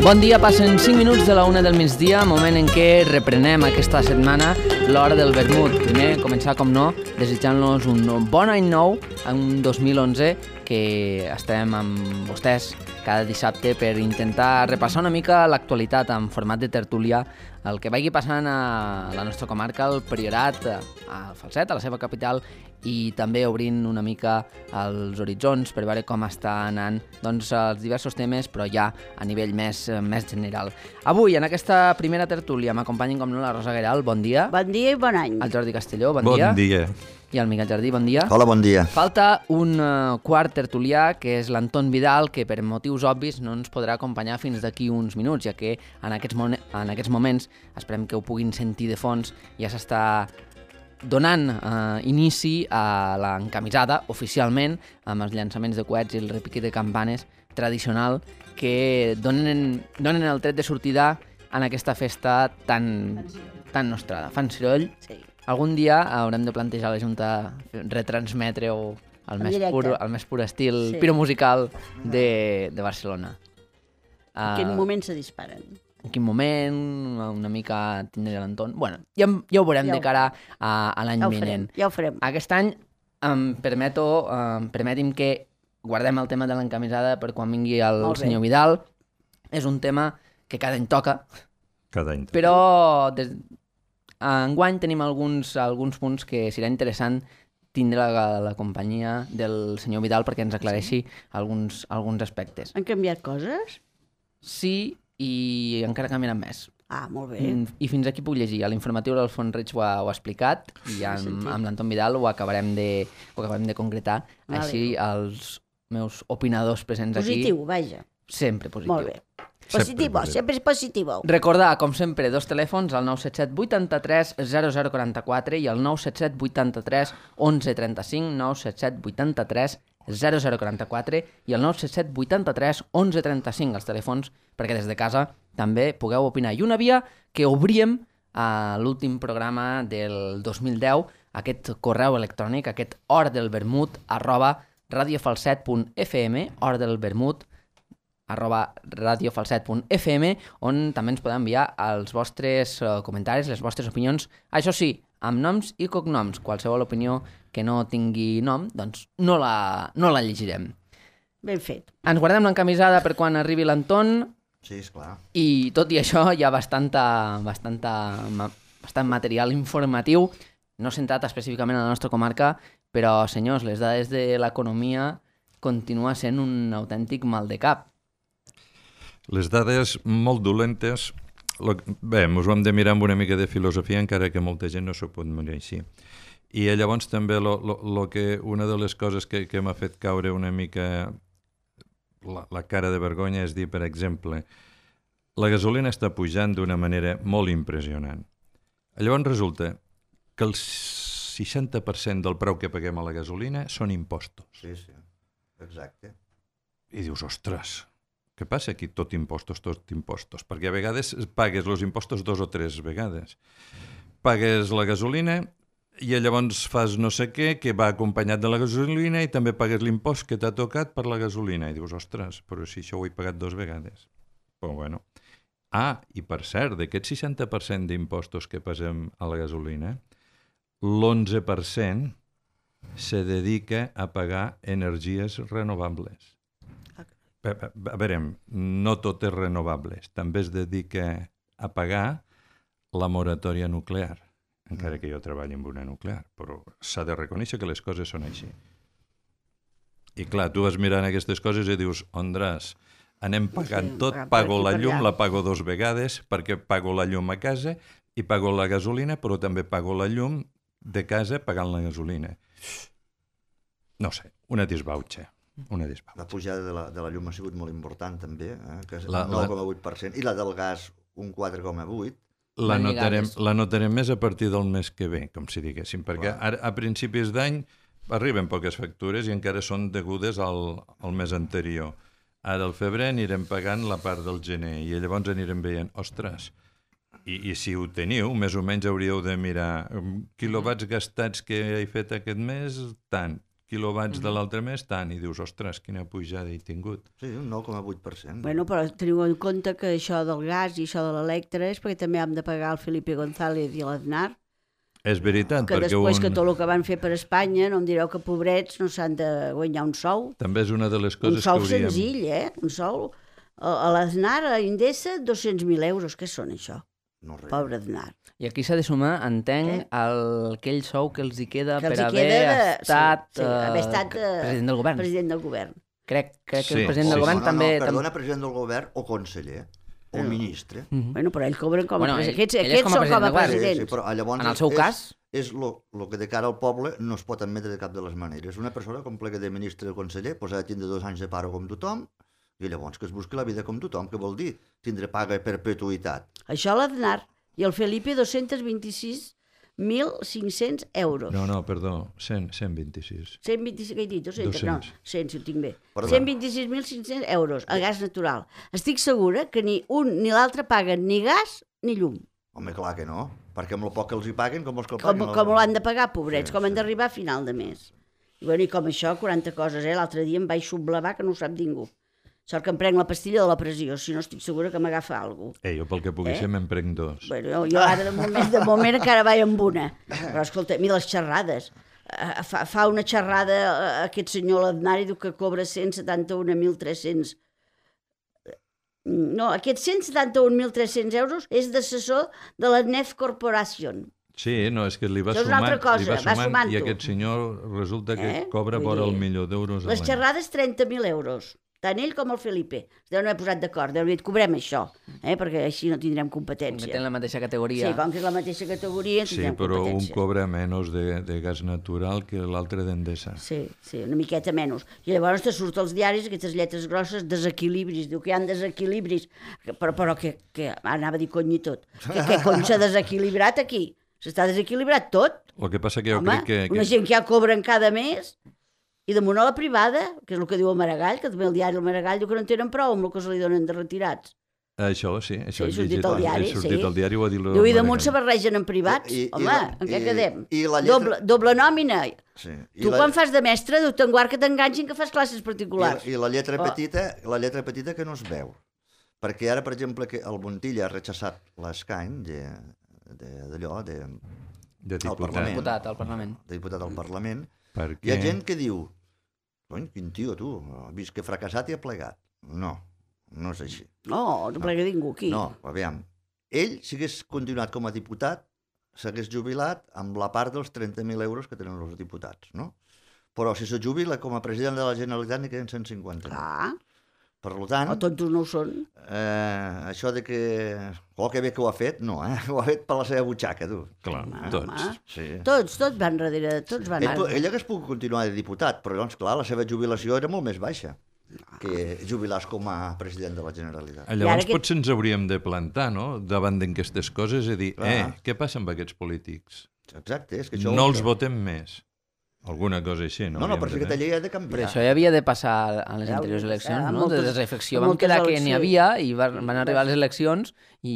Bon dia, passen 5 minuts de la 1 del migdia, moment en què reprenem aquesta setmana l'hora del vermut. Primer, començar, com no, desitjant-los un bon any nou, en 2011, que estarem amb vostès cada dissabte per intentar repassar una mica l'actualitat en format de tertúlia, el que vagi passant a la nostra comarca, al Priorat, al Falset, a la seva capital, i també obrint una mica els horitzons per veure com està anant doncs, els diversos temes, però ja a nivell més general. Avui, en aquesta primera tertúlia, m'acompanyen com no la Rosa Gueral, bon dia. Bon dia i bon any. El Jordi Castelló, bon dia. Bon dia. I el Miquel Jardí, bon dia. Hola, bon dia. Falta un quart tertulià, que és l'Anton Vidal, que per motius obvis no ens podrà acompanyar fins d'aquí uns minuts, ja que en aquests moments, esperem que ho puguin sentir de fons, ja s'està donant inici a l'encamisada oficialment amb els llançaments de coets i el repique de campanes tradicional que donen el tret de sortida en aquesta festa tan nostrada. Fan soroll. Sí. Algun dia haurem de plantejar a la Junta retransmetre-ho al més pur estil piromusical de Barcelona. En quin moment se disparen? En quin moment, una mica tindré l'Anton... Bueno, ja ho veurem de cara a l'any vinent. Ja ho farem. Aquest any permeti'm que guardem el tema de l'encamisada per quan vingui el senyor Vidal. És un tema que cada any toca. Cada any. Però enguany tenim alguns punts que serà interessant tindre la companyia del senyor Vidal perquè ens aclareixi alguns aspectes. Han canviat coses? Sí, i encara canviaran més. Ah, molt bé. I fins aquí puc llegir. A l'informatiu l'Alfons Reig ho ha explicat i amb l'Anton Vidal ho acabarem de concretar. Vale. Així els meus opinadors presents Positiu, aquí... vaja. Sempre positiu. Molt bé. Positivo, sempre és positivo. Recordar, com sempre, dos telèfons, el 977 83 0044 i el 977 83 1135, 977 83 0044 i el 977 83 1135, els telèfons perquè des de casa també pugueu opinar. I una via que obríem a l'últim programa del 2010, aquest correu electrònic, aquest hordelvermut@radiofalset.fm, hordelvermut@radiofalset.fm, on també ens podeu enviar els vostres comentaris, les vostres opinions, això sí, amb noms i cognoms. Qualsevol opinió que no tingui nom, doncs no la llegirem. Ben fet. Ens guardem l'encamisada per quan arribi l'Anton. Sí, esclar. I tot i això hi ha bastant material informatiu, no centrat específicament a la nostra comarca, però, senyors, les dades de l'economia continua sent un autèntic mal de cap. Les dades molt dolentes, bé, ens ho hem de mirar amb una mica de filosofia, encara que molta gent no s'ho pot mirar així. I llavors també una de les coses que m'ha fet caure una mica la cara de vergonya és dir, per exemple, la gasolina està pujant d'una manera molt impressionant. Llavors resulta que el 60% del preu que paguem a la gasolina són impostos. Sí, sí, exacte. I dius, ostres, què passa aquí? Tot impostos. Perquè a vegades pagues els impostos 2 o 3 vegades. Pagues la gasolina i llavors fas no sé què que va acompanyat de la gasolina i també pagues l'impost que t'ha tocat per la gasolina. I dius, ostres, però si això ho he pagat 2 vegades. Però bueno. I per cert, d'aquest 60% d'impostos que passem a la gasolina, l'11% se dedica a pagar energies renovables. A veure, no tot és renovables. També es dedica a pagar la moratòria nuclear, encara que jo treballi amb una nuclear, però s'ha de reconèixer que les coses són així. I clar, tu vas mirant aquestes coses i dius, ondres, anem pagant tot, pago la llum, la pago 2 vegades, perquè pago la llum a casa i pago la gasolina, però també pago la llum de casa pagant la gasolina. No sé, una disbauxa. La pujada de la llum ha sigut molt important també, que és el 9,8%, i la del gas un 4,8%. La notarem més a partir del mes que ve, com si diguéssim, perquè a principis d'any arriben poques factures i encara són degudes al mes anterior. Ara al febrer anirem pagant la part del gener i llavors anirem veient, ostres, i si ho teniu, més o menys hauríeu de mirar quilowatts gastats que he fet aquest mes, tant, quilowatts de l'altre mes, tant, i dius, ostres, quina pujada he tingut. Sí, un 9,8%. Bueno, però teniu en compte que això del gas i això de l'electre és perquè també hem de pagar el Felipe González i l'Aznar, És veritat, que perquè després que tot el que van fer per Espanya, no em direu que pobrets no s'han de guanyar un sou. també és una de les Un coses que sou hauríem... senzill, Un sou. A l'Aznar, a Indesa, 200.000 euros. Què són, això? No res. Pobre Aznar. I aquí s'ha de sumar, entenc, aquell sou que els hi queda Que els per hi haver queda de- estat, sí, haver estat president del govern. President del govern. Crec que Sí, el president sí, del govern no, també... perdona, president del govern o conseller o ministre. Bueno, però ell cobren com a Bueno, president. ell és Aquests com a són com a president del govern. presidents. però llavors En el seu cas... és lo que de cara al poble no es pot admetre de cap de les maneres. Una persona com plega de ministre o conseller pues, ha de tindre 2 anys de paro com tothom i llavors que es busqui la vida com tothom, que vol dir tindre paga a perpetuïtat. Això l'Aznar i el Felipe 226.500 euros. No, perdó, 126. 126, què he dit? 200? No, 200. 100, si ho tinc bé. Perdó. 126.500 euros a gas natural. Estic segura que ni un ni l'altre paguen ni gas ni llum. Home, clar que no, perquè amb el poc que els hi paguen, com vols que el Com, paguen? com l'han de pagar, pobrets, Sí, com han sí. d'arribar a final de mes. I, bueno, i com això, 40 coses, L'altre dia em vaig sublevar que no ho sap ningú. Sort que em prenc la pastilla de la pressió, si no estic segura que m'agafa alguna cosa. Jo pel que pugui ser me'n prenc 2. Bueno, jo ara de moment encara vaig amb una. Però escolta, mira les xerrades. Fa una xerrada aquest senyor l'Aznar i diu que cobra 171.300. No, aquests 171.300 euros és d'assessor de la Nef Corporation. Sí, no, és que li va Això és una sumant, altra cosa, li va va sumant i sumant-ho. aquest senyor resulta que cobra Vull vora dir, el milió d'euros a Les l'any. xerrades 30.000 euros. Tant ell com el Felipe. Es deuen haver posat d'acord. Deuen haver dit, cobrem això, perquè així no tindrem Que competència. tenen la mateixa categoria. Sí, com que és la mateixa categoria, Sí, tindrem però un competència. cobra menys de gas natural que l'altre d'Endesa. Sí, una miqueta menys. I llavors te surt als diaris aquestes lletres grosses, desequilibris. Diu que hi ha desequilibris. Però que anava a dir cony i tot. Què cony s'ha desequilibrat aquí? S'està desequilibrat tot. El que passa que jo Home, crec que... una gent que ja cobren cada mes i damunt a la privada, que és el que diu el Maragall, que també el diari el Maragall diu que no en tenen prou amb el que se li donen de retirats. Això, sí, això Sí, he sortit llegit. al diari, He sortit sí. al diari, ho ha dit Diu, i damunt se barregen en privats. Home, en què quedem? I la lletra... Doble nòmina. Sí. Tu quan fas de mestre, Déu te'n guard que t'enganxin que fas classes particulars. I la lletra petita que no es veu. Perquè ara, per exemple, que el Montilla ha rechaçat l'escany d'allò, de al diputat. Diputat al Parlament. de diputat al Parlament. Per Hi ha què? gent que diu, cony, quin tio, tu, has vist que ha fracassat i ha plegat. No, no és així. No plega ningú aquí. No, aviam. Ell, si hagués continuat com a diputat, s'hagués jubilat amb la part dels 30.000 euros que tenen els diputats, no? Però si se jubila com a president de la Generalitat n'hi queden 150. Clar, Per tant, o tontos no ho són. això de que... Oh, que bé que ho ha fet, no, Ho ha fet per la seva butxaca, tu. Clar, Home, tots. Sí. Tots van darrere, tots van... Ell hagués pogut continuar de diputat, però doncs, clar, la seva jubilació era molt més baixa que jubilar-se com a president de la Generalitat. Llavors que- potser ens hauríem de plantar, no?, davant d'aquestes coses i dir, Clar. què passa amb aquests polítics? Exacte, és que això... No els votem més. Alguna cosa així, no? No, Hauríem però de aquesta fer. llei ha de Però canviar. això ja havia de passar a les Ja anteriors hauria de eleccions, passar, no? De moltes- desreflexió. Vam moltes quedar que n'hi eleccions. havia i van arribar les eleccions i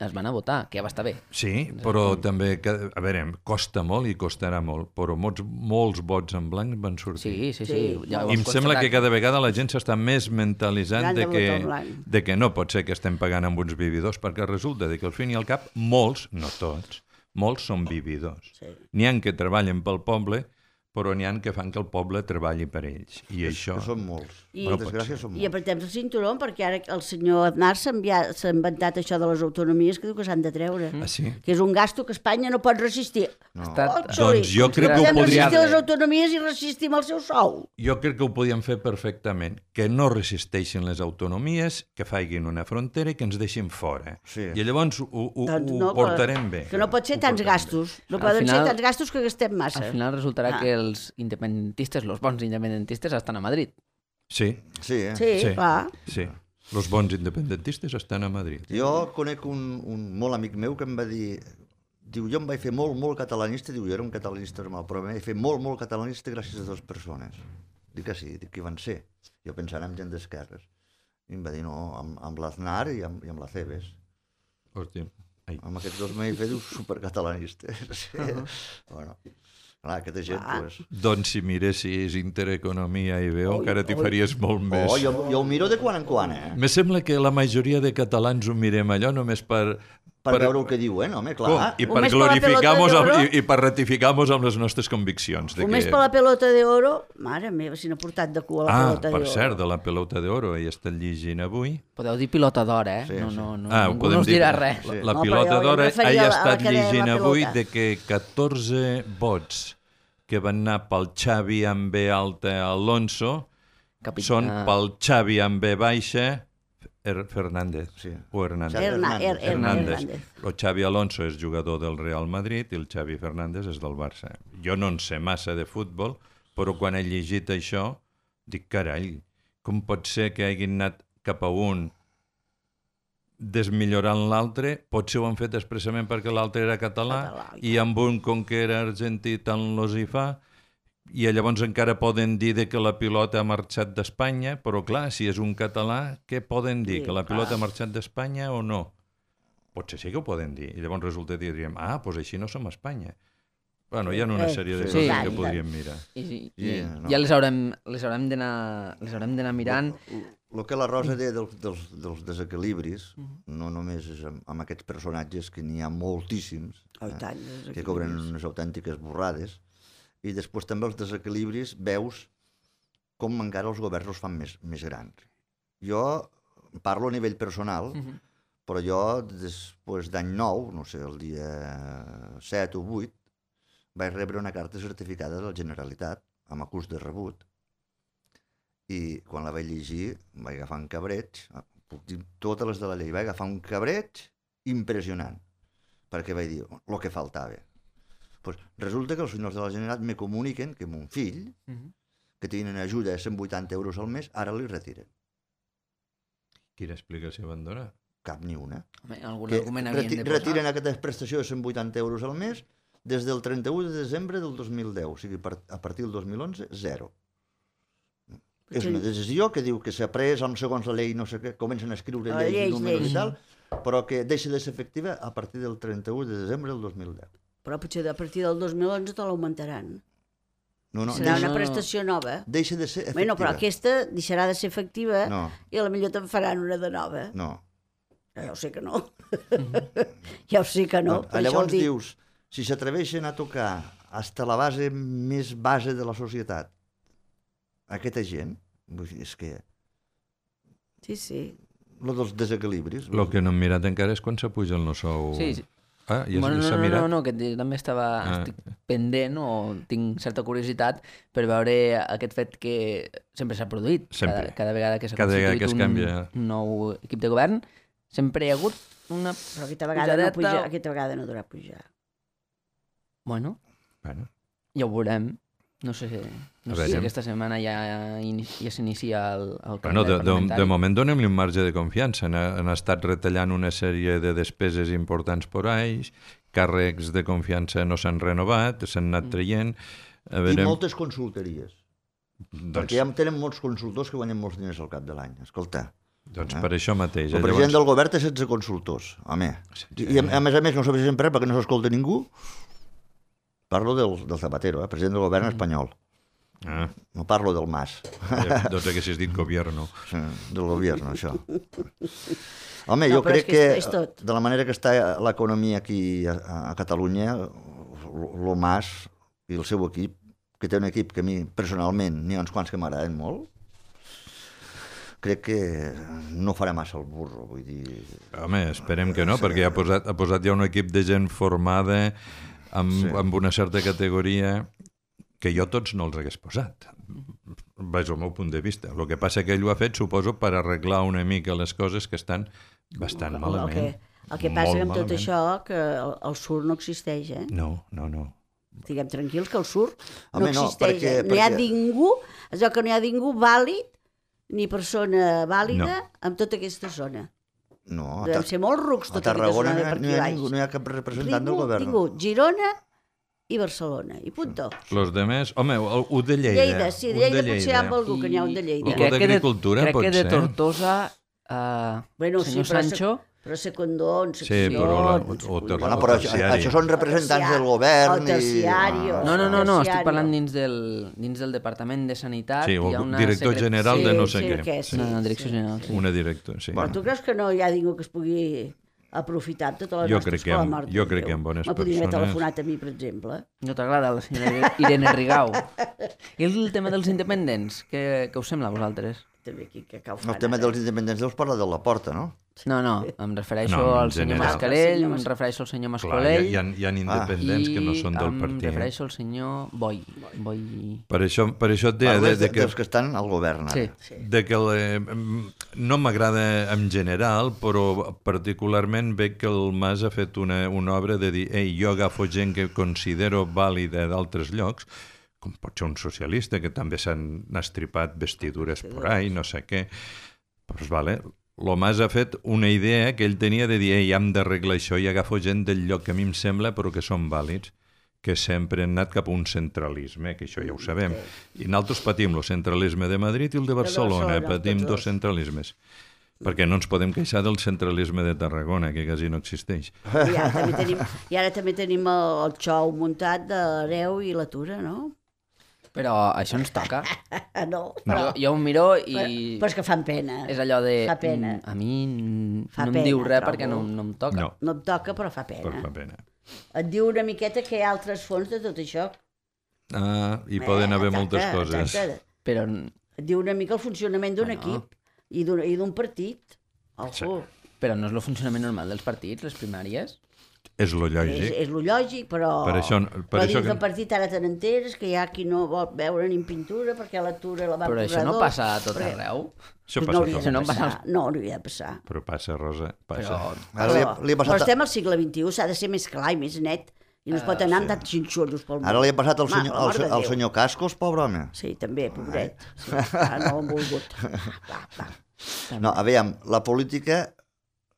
es van a votar, que ja va estar bé. Sí, però també, a veure, costa molt i costarà molt, però molts vots en blanc van sortir. Sí. Sí. Ja ho I em has sembla que constatat. cada vegada la gent s'està més mentalitzant Gran de vot en blanc. de que no pot ser que estem pagant amb uns vividors, perquè resulta que al fin i al cap molts, no tots, molts són vividors. Sí. N'hi ha que treballen pel poble, però n'hi ha que fan que el poble treballi per ells. I això... Que són molts. I- Per desgràcia són I molts. apretem el cinturó perquè ara el senyor Aznar s'ha inventat això de les autonomies que diu que s'han de treure. Ah, sí? Que és un gasto que Espanya no pot resistir. No. Estat- Sorry, Doncs jo crec que ho podem podríem- resistir les autonomies i resistim el seu sou. Jo crec que ho podíem fer perfectament, que no resisteixin les autonomies, que facin una frontera i que ens deixin fora. Sí. I llavors ho Doncs no, portarem bé. Que no pot ser Ho tants portarem gastos. No Al poden ser final- tants gastos que gastem massa. Al final resultarà Ah. que els independentistes, els bons independentistes, estan a Madrid. Sí, Sí, Sí, clar. sí. Els bons independentistes estan a Madrid. Jo conec un molt amic meu que em va dir... Diu, jo em vaig fer molt catalanista, diu, jo era un catalanista normal, però em vaig fer molt catalanista gràcies a dues persones. Dic que sí, dic que van ser. Jo pensant en gent d'esquerres. I em va dir, no, amb l'Aznar i amb la Cebes. Hòstia. Ai. Amb aquests dos m'he fet supercatalanistes. Sí. Bueno. Clar, aquesta gent, pues... Doncs si miressis Intereconomia i veu, encara t'hi faries molt més. Jo ho miro de quan en quan, Me sembla que la majoria de catalans ho mirem allò només per veure el que diuen, home, clar. I per Només per la glorificar-nos pelota d'oro? i per ratificar-nos amb les nostres conviccions. Només per la pelota d'oro, mare meva, si n'ha portat de cua la pelota d'oro. Per cert, de la pelota d'oro, he estat llegint avui. Podeu dir pilota d'or, eh? Sí, sí. No, Ho ningú podem no us dir. dirà res. La No, pilota però jo d'or em referia he a la estat que deia la llegint avui pelota. de que 14 vots que van anar pel Xavi amb B alta Alonso són pel Xavi amb B baixa Fernández. Sí. O Hernández. Hernández. El Xavi Alonso és jugador del Real Madrid i el Xavi Fernández és del Barça. Jo no en sé massa de futbol, però quan he llegit això dic, carai, com pot ser que hagin anat cap a un desmillorant l'altre? Potser ho han fet expressament perquè l'altre era català i amb un, com que era argentí, tant los hi fa, i llavors encara poden dir que la pilota ha marxat d'Espanya, però clar, si és un català, què poden dir? Que la pilota ha marxat d'Espanya o no? Potser sí que ho poden dir. I llavors resulta que diríem, doncs així no som a Espanya. Bueno, hi ha una sèrie de coses que podríem mirar. Ja les haurem d'anar mirant. El que la Rosa deia dels desequilibris, no només és amb aquests personatges, que n'hi ha moltíssims, que cobren unes autèntiques borrades, i després també els desequilibris veus com encara els governs els fan més grans. Jo parlo a nivell personal, però jo després d'any 9, no sé, el dia 7 o 8, vaig rebre una carta certificada de la Generalitat amb acús de rebut, i quan la vaig llegir vaig agafar un cabreig, puc dir totes les de la llei, vaig agafar un cabreig impressionant, perquè vaig dir el que faltava. Pues resulta que els senyors de la Generalitat me comuniquen que mon fill, que tenen ajuda de 180 euros al mes, ara li retiren. Quina explicació van donar? Cap ni una. Algun argument havien de posar. Retiren aquesta prestació de 180 euros al mes des del 31 de desembre del 2010, o sigui, a partir del 2011, zero. És una decisió que diu que s'ha pres amb segons la llei, no sé què, comencen a escriure lleis i números i tal, però que deixa de ser efectiva a partir del 31 de desembre del 2010. Però potser a partir del 2011 te l'augmentaran. No, serà una prestació nova. Deixa de ser efectiva. Bueno, però aquesta deixarà de ser efectiva i potser te'n faran una de nova. No. Ja ho sé que no. Ja ho sé que no. Llavors dius, si s'atreveixen a tocar fins a la base més base de la societat, aquesta gent, és que... Sí. Lo dels desequilibris. El que no hem mirat encara és quan s'apuja el nostre sou. Sí. Ja s'ha mirat? No, que també estic pendent o tinc certa curiositat per veure aquest fet que sempre s'ha produït. Cada vegada que s'ha constituït un nou equip de govern, sempre hi ha hagut una però aquesta vegada no durà pujar. Bueno, ja ho veurem. No sé si aquesta setmana ja s'inicia el calendari parlamentari. De moment donem-li un marge de confiança. Han estat retallant una sèrie de despeses importants per anys, càrrecs de confiança no s'han renovat, s'han anat traient. I moltes consultories. Perquè ja tenen molts consultors que guanyen molts diners al cap de l'any. Escolta. Doncs per això mateix. El president del govern té 16 consultors. Home. I a més no s'avisem per perquè no s'escolta ningú. Parlo del Zapatero, president del govern espanyol. No parlo del Mas. Doncs haguessis dit gobierno. Sí, del gobierno, això. Home, jo crec que de la manera que està l'economia aquí a Catalunya, el Mas i el seu equip, que té un equip que a mi personalment n'hi ha uns quants que m'agraden molt, crec que no farà massa el burro, vull dir... Home, esperem que no, perquè ha posat ja un equip de gent formada amb una certa categoria que jo tots no els hagués posat. Vaig al meu punt de vista. El que passa que ell ho ha fet, suposo, per arreglar una mica les coses que estan bastant malament. El que passa amb tot això, que el sur no existeix, eh? No. Estiguem tranquils que el sur no existeix. No hi ha ningú, és que no hi ha ningú vàlid, ni persona vàlida en tota aquesta zona. No, devem ser molt rucs tota aquesta zona de per aquí baix. No hi ha cap representant del govern. Tingut Girona i Barcelona, i punto. Los demés, home, un de Lleida. Lleida, sí, de Lleida potser hi ha algú que n'hi ha un de Lleida. I crec que de Tortosa, senyor Sancho, Però secundons, Sí, però Bueno, però això són representants del govern el terciario. No, estic parlant dins del Departament de Sanitat. Sí, hi ha o una director general de no sé què. Una direcció general, sí. Una directora, sí. Però tu creus que no hi ha ningú que es pugui aprofitar tota la nostra escola mort? Jo crec que amb bones persones. Me podria haver persones... telefonat a mi, per exemple. No t'agrada la senyora Irene Rigau? I el tema dels independents, què us sembla a vosaltres? També aquí que cau El tema dels independents deus parlar de la porta, no? No, em refereixo No, en al senyor general. Mascarell, em refereixo al senyor Clar, Mascolell hi ha independents que no són del i em partit. refereixo al senyor Boi. Per això et deia Parles de que... dels que estan al govern, ara. Sí. De que no m'agrada en general, però particularment veig que el Mas ha fet una obra de dir jo agafo gent que considero vàlida d'altres llocs, com pot ser un socialista, que també s'han estripat vestidures por ahí, no sé què. Doncs vale, el Mas ha fet una idea que ell tenia de dir hem d'arreglar això i agafo gent del lloc que a mi em sembla però que són vàlids, que sempre han anat cap a un centralisme, que això ja ho sabem. I nosaltres patim el centralisme de Madrid i el de Barcelona, patim dos centralismes. Perquè no ens podem queixar del centralisme de Tarragona, que quasi no existeix. I ara també tenim el xou muntat de l'Hereu i la Tura, no? Però això ens toca. No. Jo ho miro i... Però és que fan pena. És allò de... Fa pena. A mi no em pena, diu res trobo. perquè no em toca. No em toca, però fa pena. Però fa pena. Et diu una miqueta que hi ha altres fons de tot això. Hi poden haver moltes coses. Però... Et diu una mica el funcionament d'un equip i d'un partit. Ojo. Però no és el funcionament normal dels partits, les primàries? És lo lògic. És lo lògic, però... Per això dins del partit ara te n'enteres que hi ha qui no vol veure ni en pintura perquè la Tura la va Però això no passa a tot arreu? Això no passa hauria a de tot. passar. No hauria de passar. Però passa, Rosa, passa. Però estem al segle XXI, s'ha de ser més clar i més net. I no es pot anar amb tants xinxollos pel món. Ara li ha passat al senyor Cascos, pobre home. Sí, també, pobret. Sí, no ho han volgut. No, aviam, la política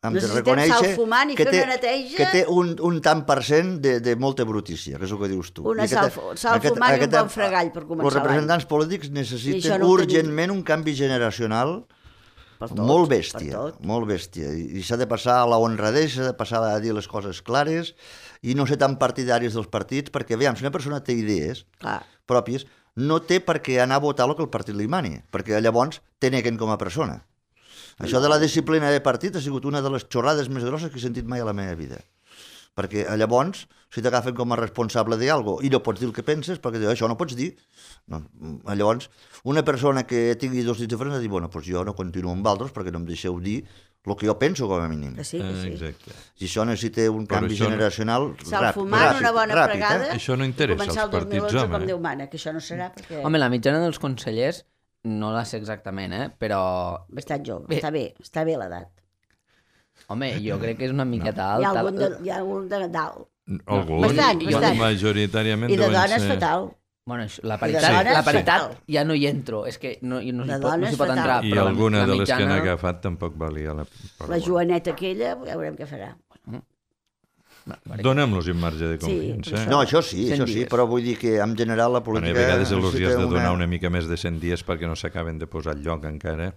hem de Necessitem reconèixer sal fumant i fer una neteja. que té un tant per cent de molta brutícia, que és el que dius tu. Una sal fumant i un bon fregall per començar Els representants polítics necessiten no urgentment un canvi generacional molt bèstia, molt bèstia. I s'ha de passar a la honradesa, s'ha de passar a dir les coses clares i no ser tan partidaris dels partits, perquè, veiem, si una persona té idees pròpies, no té per què anar a votar el que el partit li mani, perquè llavors te neguen com a persona. Això de la disciplina de partit ha sigut una de les xorrades més grosses que he sentit mai a la meva vida. Perquè llavors, si t'agafen com a responsable d'algo i no pots dir el que penses, perquè això no pots dir. No. Llavors, una persona que tingui dos dits diferents ha de dir, bueno, doncs jo no continuo amb altres perquè no em deixeu dir el que jo penso, com a mínim. Que sí. Exacte. Si això necessita un canvi generacional sal fumant, una bona fregada, això no interessa als partits, home. Com Déu mana, que això no serà perquè... Home, la mitjana dels consellers no la sé exactament, però... Bastant jove, està bé l'edat. Home, jo crec que és una miqueta alta. Hi ha algun de dalt. Algun, bastant. majoritàriament I de deuen dones ser... fatal. Bueno, la paritat ja no hi entro, és que no s'hi pot entrar. I alguna de les que han agafat tampoc valia la... La Joaneta aquella, ja veurem què farà. Donem-los un marge de confiança. No, això sí, però vull dir que en general la política... A vegades els has de donar una mica més de 100 dies perquè no s'acaben de posar al lloc encara,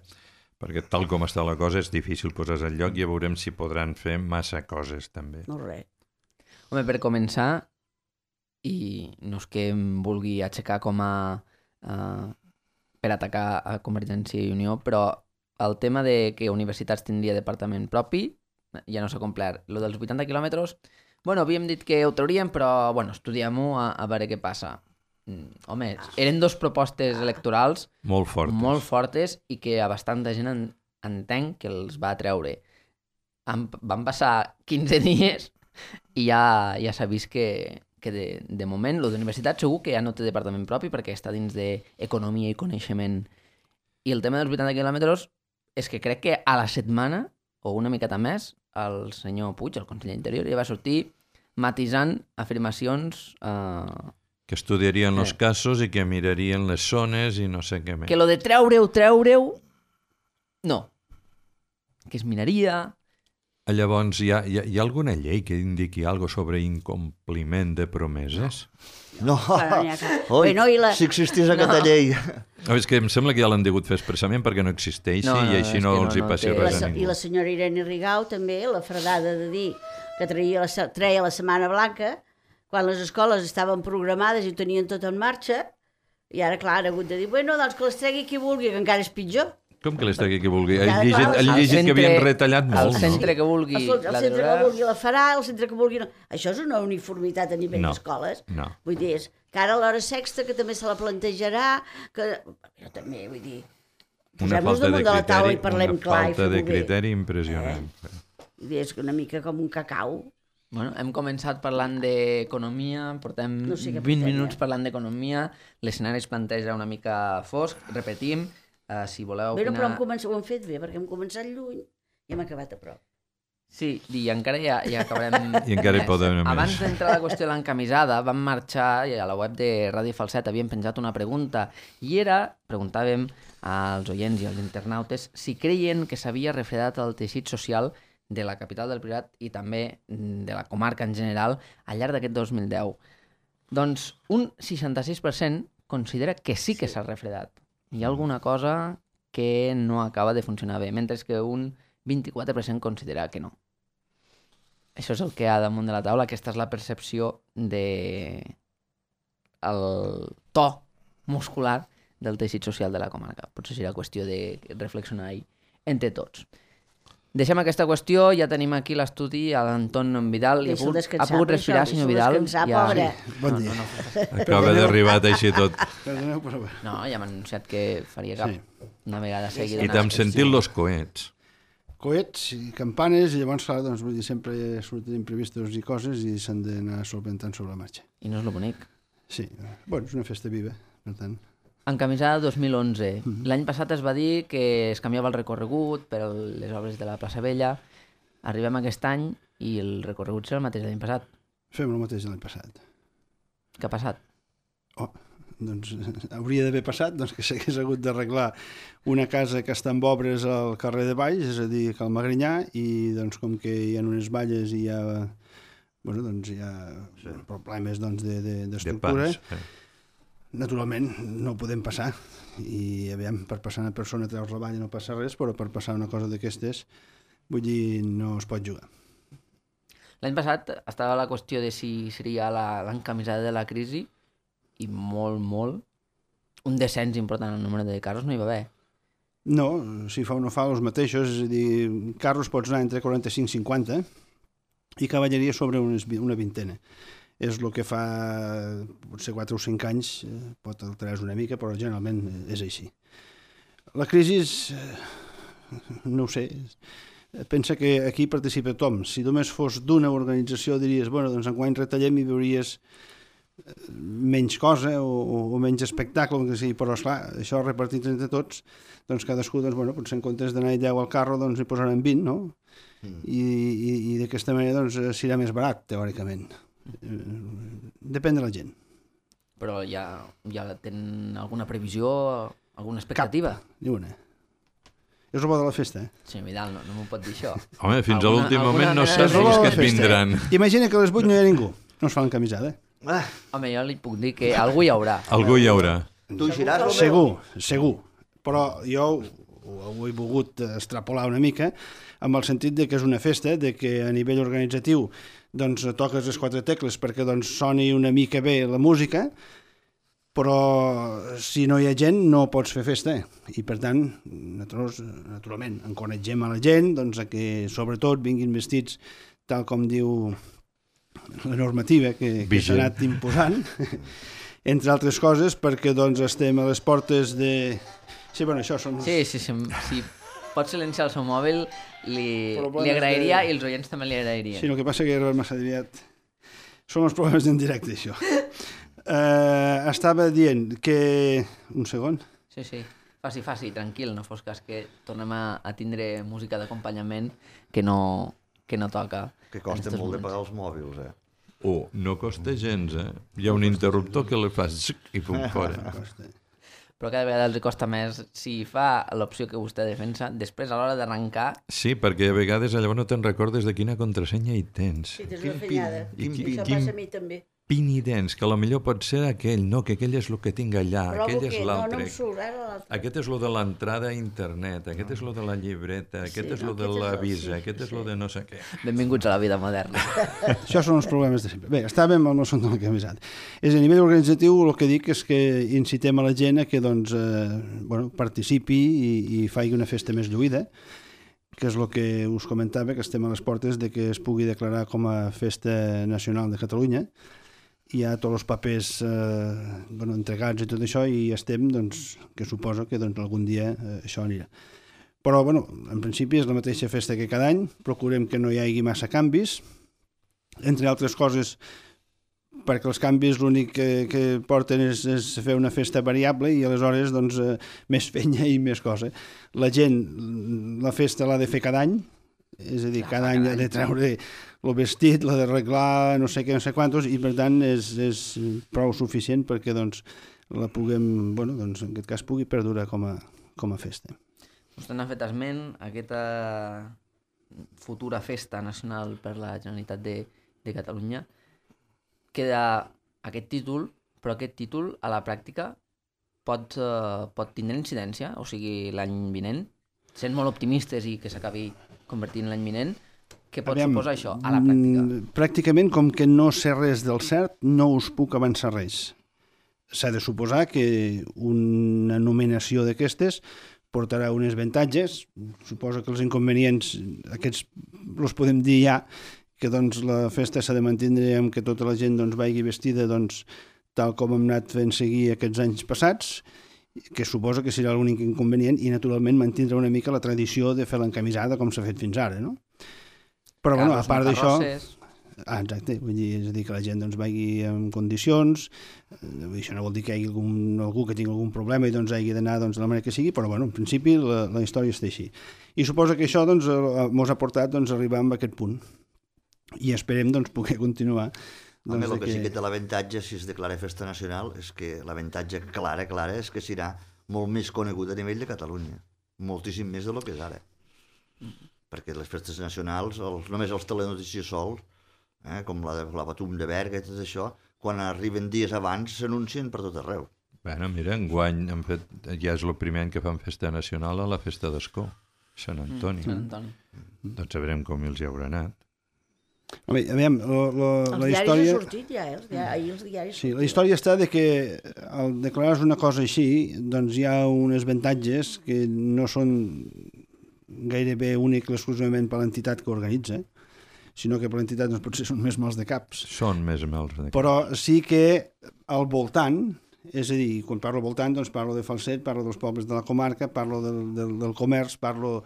perquè tal com està la cosa és difícil posar al lloc i ja veurem si podran fer massa coses també. No res. Home, per començar, i no és que em vulgui aixecar com a... per atacar a Convergència i Unió, però el tema de que universitats tindria departament propi ja no s'ha complert. Lo dels 80 quilòmetres, bueno, havíem dit que ho trauríem, però bueno, estudiem-ho a veure què passa. Home, eren dos propostes electorals molt fortes i que a bastanta gent entenc que els va treure. Van passar 15 dies i ja s'ha vist que de moment lo d'universitat segur que ja no té departament propi perquè està dins d'economia i coneixement. I el tema dels 80 quilòmetres és que crec que a la setmana o una miqueta més, el senyor Puig, el conseller Interior, ja va sortir matisant afirmacions... Que estudiarien els casos i que mirarien les zones i no sé què més. Que lo de treure-ho, no. Que es miraria Llavors, hi ha alguna llei que indiqui alguna sobre incompliment de promeses? No, Però n'hi ha cap. oi, Bueno, i la- si existís aquesta llei. És que em sembla que ja l'han degut fer expressament perquè no existeixi i així és no que els hi passi té- res a I ningú. la senyora Irene Rigau també, la fredada de dir que treia la Setmana Blanca, quan les escoles estaven programades i ho tenien tot en marxa, i ara, clar, han hagut de dir, bueno, doncs que les tregui qui vulgui, que encara és pitjor. Com que les tregui qui vulgui? Ja, He clar, llegit que havien retallat El molt, no? centre que vulgui El la centre traurà. que vulgui la farà, el centre que vulgui no. Això és una uniformitat a nivell No, d'escoles. no. Vull dir, és que ara l'hora sexta, que també se la plantejarà, que jo també, vull dir, Una posem-nos falta de damunt de la taula i criteri, parlem una clar i falta de fem-ho bé. criteri impressionant. Vull dir, és una mica com un cacau. Bueno, hem començat parlant d'economia, portem No sé què 20 portem, minuts ja. parlant d'economia, l'escenari es planteja una mica fosc, repetim, si voleu Bé, opinar... però ho hem fet bé, perquè hem començat lluny i hem acabat a prop. Sí, i encara ja acabarem... I encara hi podem anar més. Abans d'entrar a la qüestió de l'encamisada, vam marxar i a la web de Ràdio Falset havíem penjat una pregunta i preguntàvem als oients i als internautes si creien que s'havia refredat el teixit social de la capital del Priorat i també de la comarca en general al llarg d'aquest 2010. Doncs un 66% considera que sí que s'ha refredat. Hi ha alguna cosa que no acaba de funcionar bé, mentre que un 24% considera que no. Això és el que hi ha damunt de la taula, aquesta és la percepció de el to muscular del teixit social de la comarca. Potser serà qüestió de reflexionar-hi entre tots. Deixem aquesta qüestió, ja tenim aquí l'estudi a l'Anton Vidal. Deixa'l descansar, Ha pogut per respirar, això, senyor deixa'l Vidal? descansar, Ja... pobre. Bon dia. Acaba d'arribar així tot. Perdoneu, però bé. No, ja m'ha anunciat que faria cap Sí. una vegada seguida. I t'hem sentit los coets. Coets i campanes, i llavors, clar, doncs, vull dir, sempre surten imprevistos i coses i s'han d'anar solventant sobre la marxa. I no és el bonic. Sí, bueno, és una festa viva, per tant. Encamisada 2011. L'any passat es va dir que es canviava el recorregut per les obres de la plaça Vella. Arribem aquest any i el recorregut serà el mateix de l'any passat. Fem el mateix de l'any passat. Què ha passat? Oh, doncs hauria d'haver passat doncs, que s'hagués hagut d'arreglar una casa que està en obres al carrer de Valls, és a dir, Cal Magrinyà, i doncs, com que hi ha unes valles i hi ha, bueno, doncs, hi ha problemes doncs, De d'estructura, pas. naturalment no podem passar. I aviam, per passar una persona a treure la valla no passa res, però per passar una cosa d'aquestes, vull dir, no es pot jugar. L'any passat estava la qüestió de si seria l'encamisada de la crisi i molt, un descens important en el número de casos no hi va haver. No, si fa o no fa els mateixos, és a dir, carros pots anar entre 45 i 50 i cavalleria sobre una vintena. És el que fa potser 4 o 5 anys, pot alterar una mica, però generalment és així. La crisi, no ho sé, pensa que aquí participa tothom. Si només fos d'una organització diries, bueno, doncs enguany retallem i veuries menys cosa o menys espectacle, que sigui, però esclar, això repartit entre tots, doncs cadascú, doncs, bueno, potser en comptes d'anar-hi 10 al carro, doncs hi posaran 20, no? I d'aquesta manera doncs, serà més barat, teòricament. Depèn de la gent. Però ja tenen alguna previsió, alguna expectativa? Ni una. És el bo de la festa, eh? Senyor Vidal, no m'ho pot dir això. Home, fins a l'últim moment no mena saps de- els que de et festa. vindran. Imagina que a les 8 no hi ha ningú. No es fa l'encamisada, eh? Ah, Home, jo li puc dir que algú hi haurà. Algú hi haurà. tu eixiràs, Romeu? Segur. Però jo ho he volgut extrapolar una mica amb el sentit de que és una festa, de que a nivell organitzatiu doncs, toques les 4 tecles perquè doncs, soni una mica bé la música, però si no hi ha gent no pots fer festa. I per tant, nosaltres, naturalment, encoratgem a la gent doncs, a que sobretot vinguin vestits tal com diu la normativa que s'ha anat imposant, entre altres coses, perquè doncs, estem a les portes de... Sí, bueno, això són... Sí, si pot silenciar el seu mòbil, li agrairia i els oients també li agrairien. Sí, el que passa que era massa aviat. Són els problemes d'en directe, això. Estava dient que... Un segon. Sí. Faci, tranquil, no fos cas que tornem a tindre música d'acompanyament que no toca. Que costa en estos molt de moments. pagar els mòbils, eh? No costa gens, eh? Hi ha un interruptor que li fas zic i pum, fora. però cada vegada els costa més si fa l'opció que vostè defensa, després a l'hora d'arrencar... Sí, perquè a vegades llavors no te'n recordes de quina contrasenya hi tens. Sí, tens una fenyada. Això passa a mi també. Pin hi tens, que potser pot ser aquell, no, que aquell és el que tinc allà, Però aquell és l'altre. No em surt, ara l'altre. Aquest és lo de l'entrada a internet, aquest és lo de la llibreta, aquest és lo de la visa, aquest és lo de no sé què. Benvinguts a la vida moderna. Això són els problemes de sempre. Bé, estàvem amb el son de la camisada. És a nivell organitzatiu, el que dic és que incitem a la gent a que doncs, participi i faci una festa més lluïda, que és el que us comentava, que estem a les portes de que es pugui declarar com a Festa Nacional de Catalunya. Hi ha tots els papers entregats i tot això i estem, doncs, que suposa que doncs, algun dia això anirà. Però, en principi és la mateixa festa que cada any, procurem que no hi hagi massa canvis, entre altres coses, perquè els canvis l'únic que porten és fer una festa variable i aleshores doncs, més fenya i més cosa. La gent, la festa l'ha de fer cada any, és a dir, cada any ha de treure el vestit, l'ha d'arreglar, no sé què, no sé quantos, i per tant és prou suficient perquè doncs, la puguem, doncs, en aquest cas pugui perdurar com a festa. Vostè n'ha fet esment, aquesta futura festa nacional per la Generalitat de Catalunya. Queda aquest títol, però aquest títol a la pràctica pot tindre incidència, o sigui, l'any vinent, sent molt optimistes i que s'acabi convertint l'any vinent, què pot suposar això a la pràctica? Pràcticament, com que no sé res del cert, no us puc avançar res. S'ha de suposar que una nominació d'aquestes portarà uns avantatges. Suposo que els inconvenients, aquests els podem dir ja, que doncs, la festa s'ha de mantindre amb que tota la gent doncs, vagi vestida doncs, tal com hem anat fent seguir aquests anys passats, que suposo que serà l'únic inconvenient, i naturalment mantindrà una mica la tradició de fer l'encamisada com s'ha fet fins ara, no? Però, a part d'això... exacte, vull dir, és a dir, que la gent doncs, vagi en condicions, això no vol dir que hi hagi algú que tingui algun problema i doncs hagi d'anar doncs, de la manera que sigui, però en principi la història està així. I suposo que això doncs, mos ha portat doncs, a arribar a aquest punt. I esperem doncs, poder continuar. Home, el que sí que té l'avantatge, si es declara festa nacional, és que l'avantatge clara és que serà molt més conegut a nivell de Catalunya. Moltíssim més del que és ara. Perquè les festes nacionals, només els telenotícies sols, com la Patum de Berga i tot això, quan arriben dies abans s'anuncien per tot arreu. Bueno, mira, enguany han fet, ja és el primer any que fan festa nacional a la festa d'Escó, Sant Antoni. Doncs sabrem com els hi haurà anat. Aviam, la història... Els diaris han sortit ja, ahir els diaris... Sí, la història està de que al declarar una cosa així, doncs hi ha uns avantatges que no són gairebé únic exclusivament per l'entitat que organitza, sinó que per l'entitat doncs, potser són més mals de caps. Són més mals de caps. Però sí que al voltant, és a dir, quan parlo al voltant, doncs parlo de Falset, parlo dels pobles de la comarca, parlo del comerç, parlo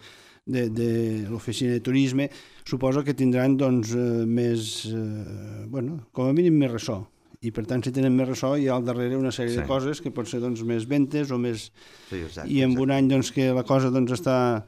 de l'oficina de turisme, suposo que tindran doncs, més, com a mínim més ressò. I per tant, si tenen més ressò, hi ha al darrere una sèrie de coses que pot ser doncs, més ventes o més... Sí, exacte, I en un any doncs, que la cosa doncs, està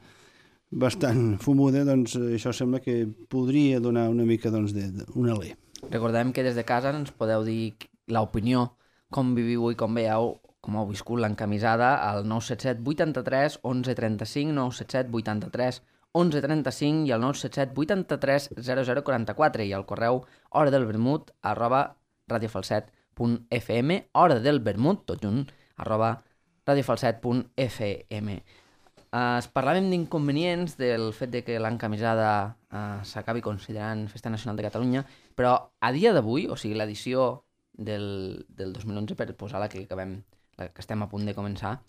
bastant fumuda, doncs això sembla que podria donar una mica doncs, un alè. Recordem que des de casa ens podeu dir l'opinió, com viviu i com veieu, com heu viscut l'encamisada al 977 83 11 35, 977 83 11 35 i al 977 83 0044 i al correu horadelvermut@radiofalset.fm, horadelvermut, tot junt, @radiofalset.fm. Parlàvem d'inconvenients del fet de que l'encamisada s'acabi considerant Festa Nacional de Catalunya, però a dia d'avui, o sigui, l'edició del 2011, per posar la que estem a punt de començar,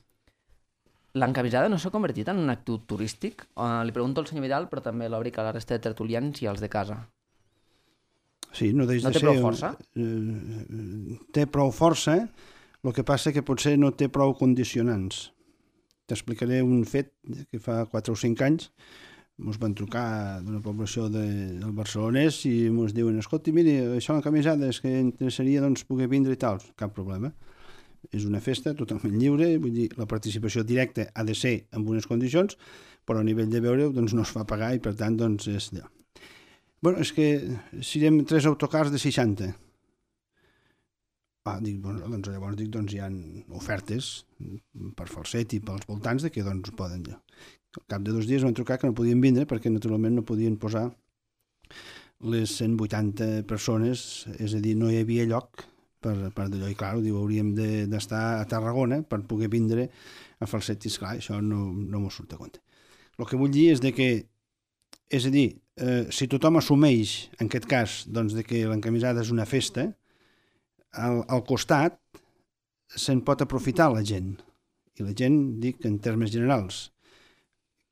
l'encamisada no s'ha convertit en un actiu turístic? Li pregunto al senyor Vidal, però també l'obric a la resta de tertulians i als de casa. Sí, no té prou força? Té prou força, el que passa que potser no té prou condicionants. T'explicaré un fet que fa 4 o 5 anys ens van trucar d'una població del barcelonès i ens diuen, escolti, miri, això l'encamisada és que interessaria doncs, poder vindre i tal. Cap problema. És una festa totalment lliure, vull dir, la participació directa ha de ser en unes condicions, però a nivell de veure doncs, no es fa pagar i per tant doncs, és allò. Bueno, és que serem 3 autocars de 60. Doncs llavors dic, hi ha ofertes per Falset i pels voltants de que doncs poden. Al cap de 2 dies van trucar que no podien vindre perquè naturalment no podien posar les 180 persones, és a dir, no hi havia lloc per d'allò, i clar, diu, hauríem d'estar a Tarragona per poder vindre a Falset, i esclar, això no m'ho surt a compte. El que vull dir és que, és a dir, si tothom assumeix, en aquest cas, doncs, de que l'encamisada és una festa, al costat se'n pot aprofitar la gent, i la gent, dic, en termes generals.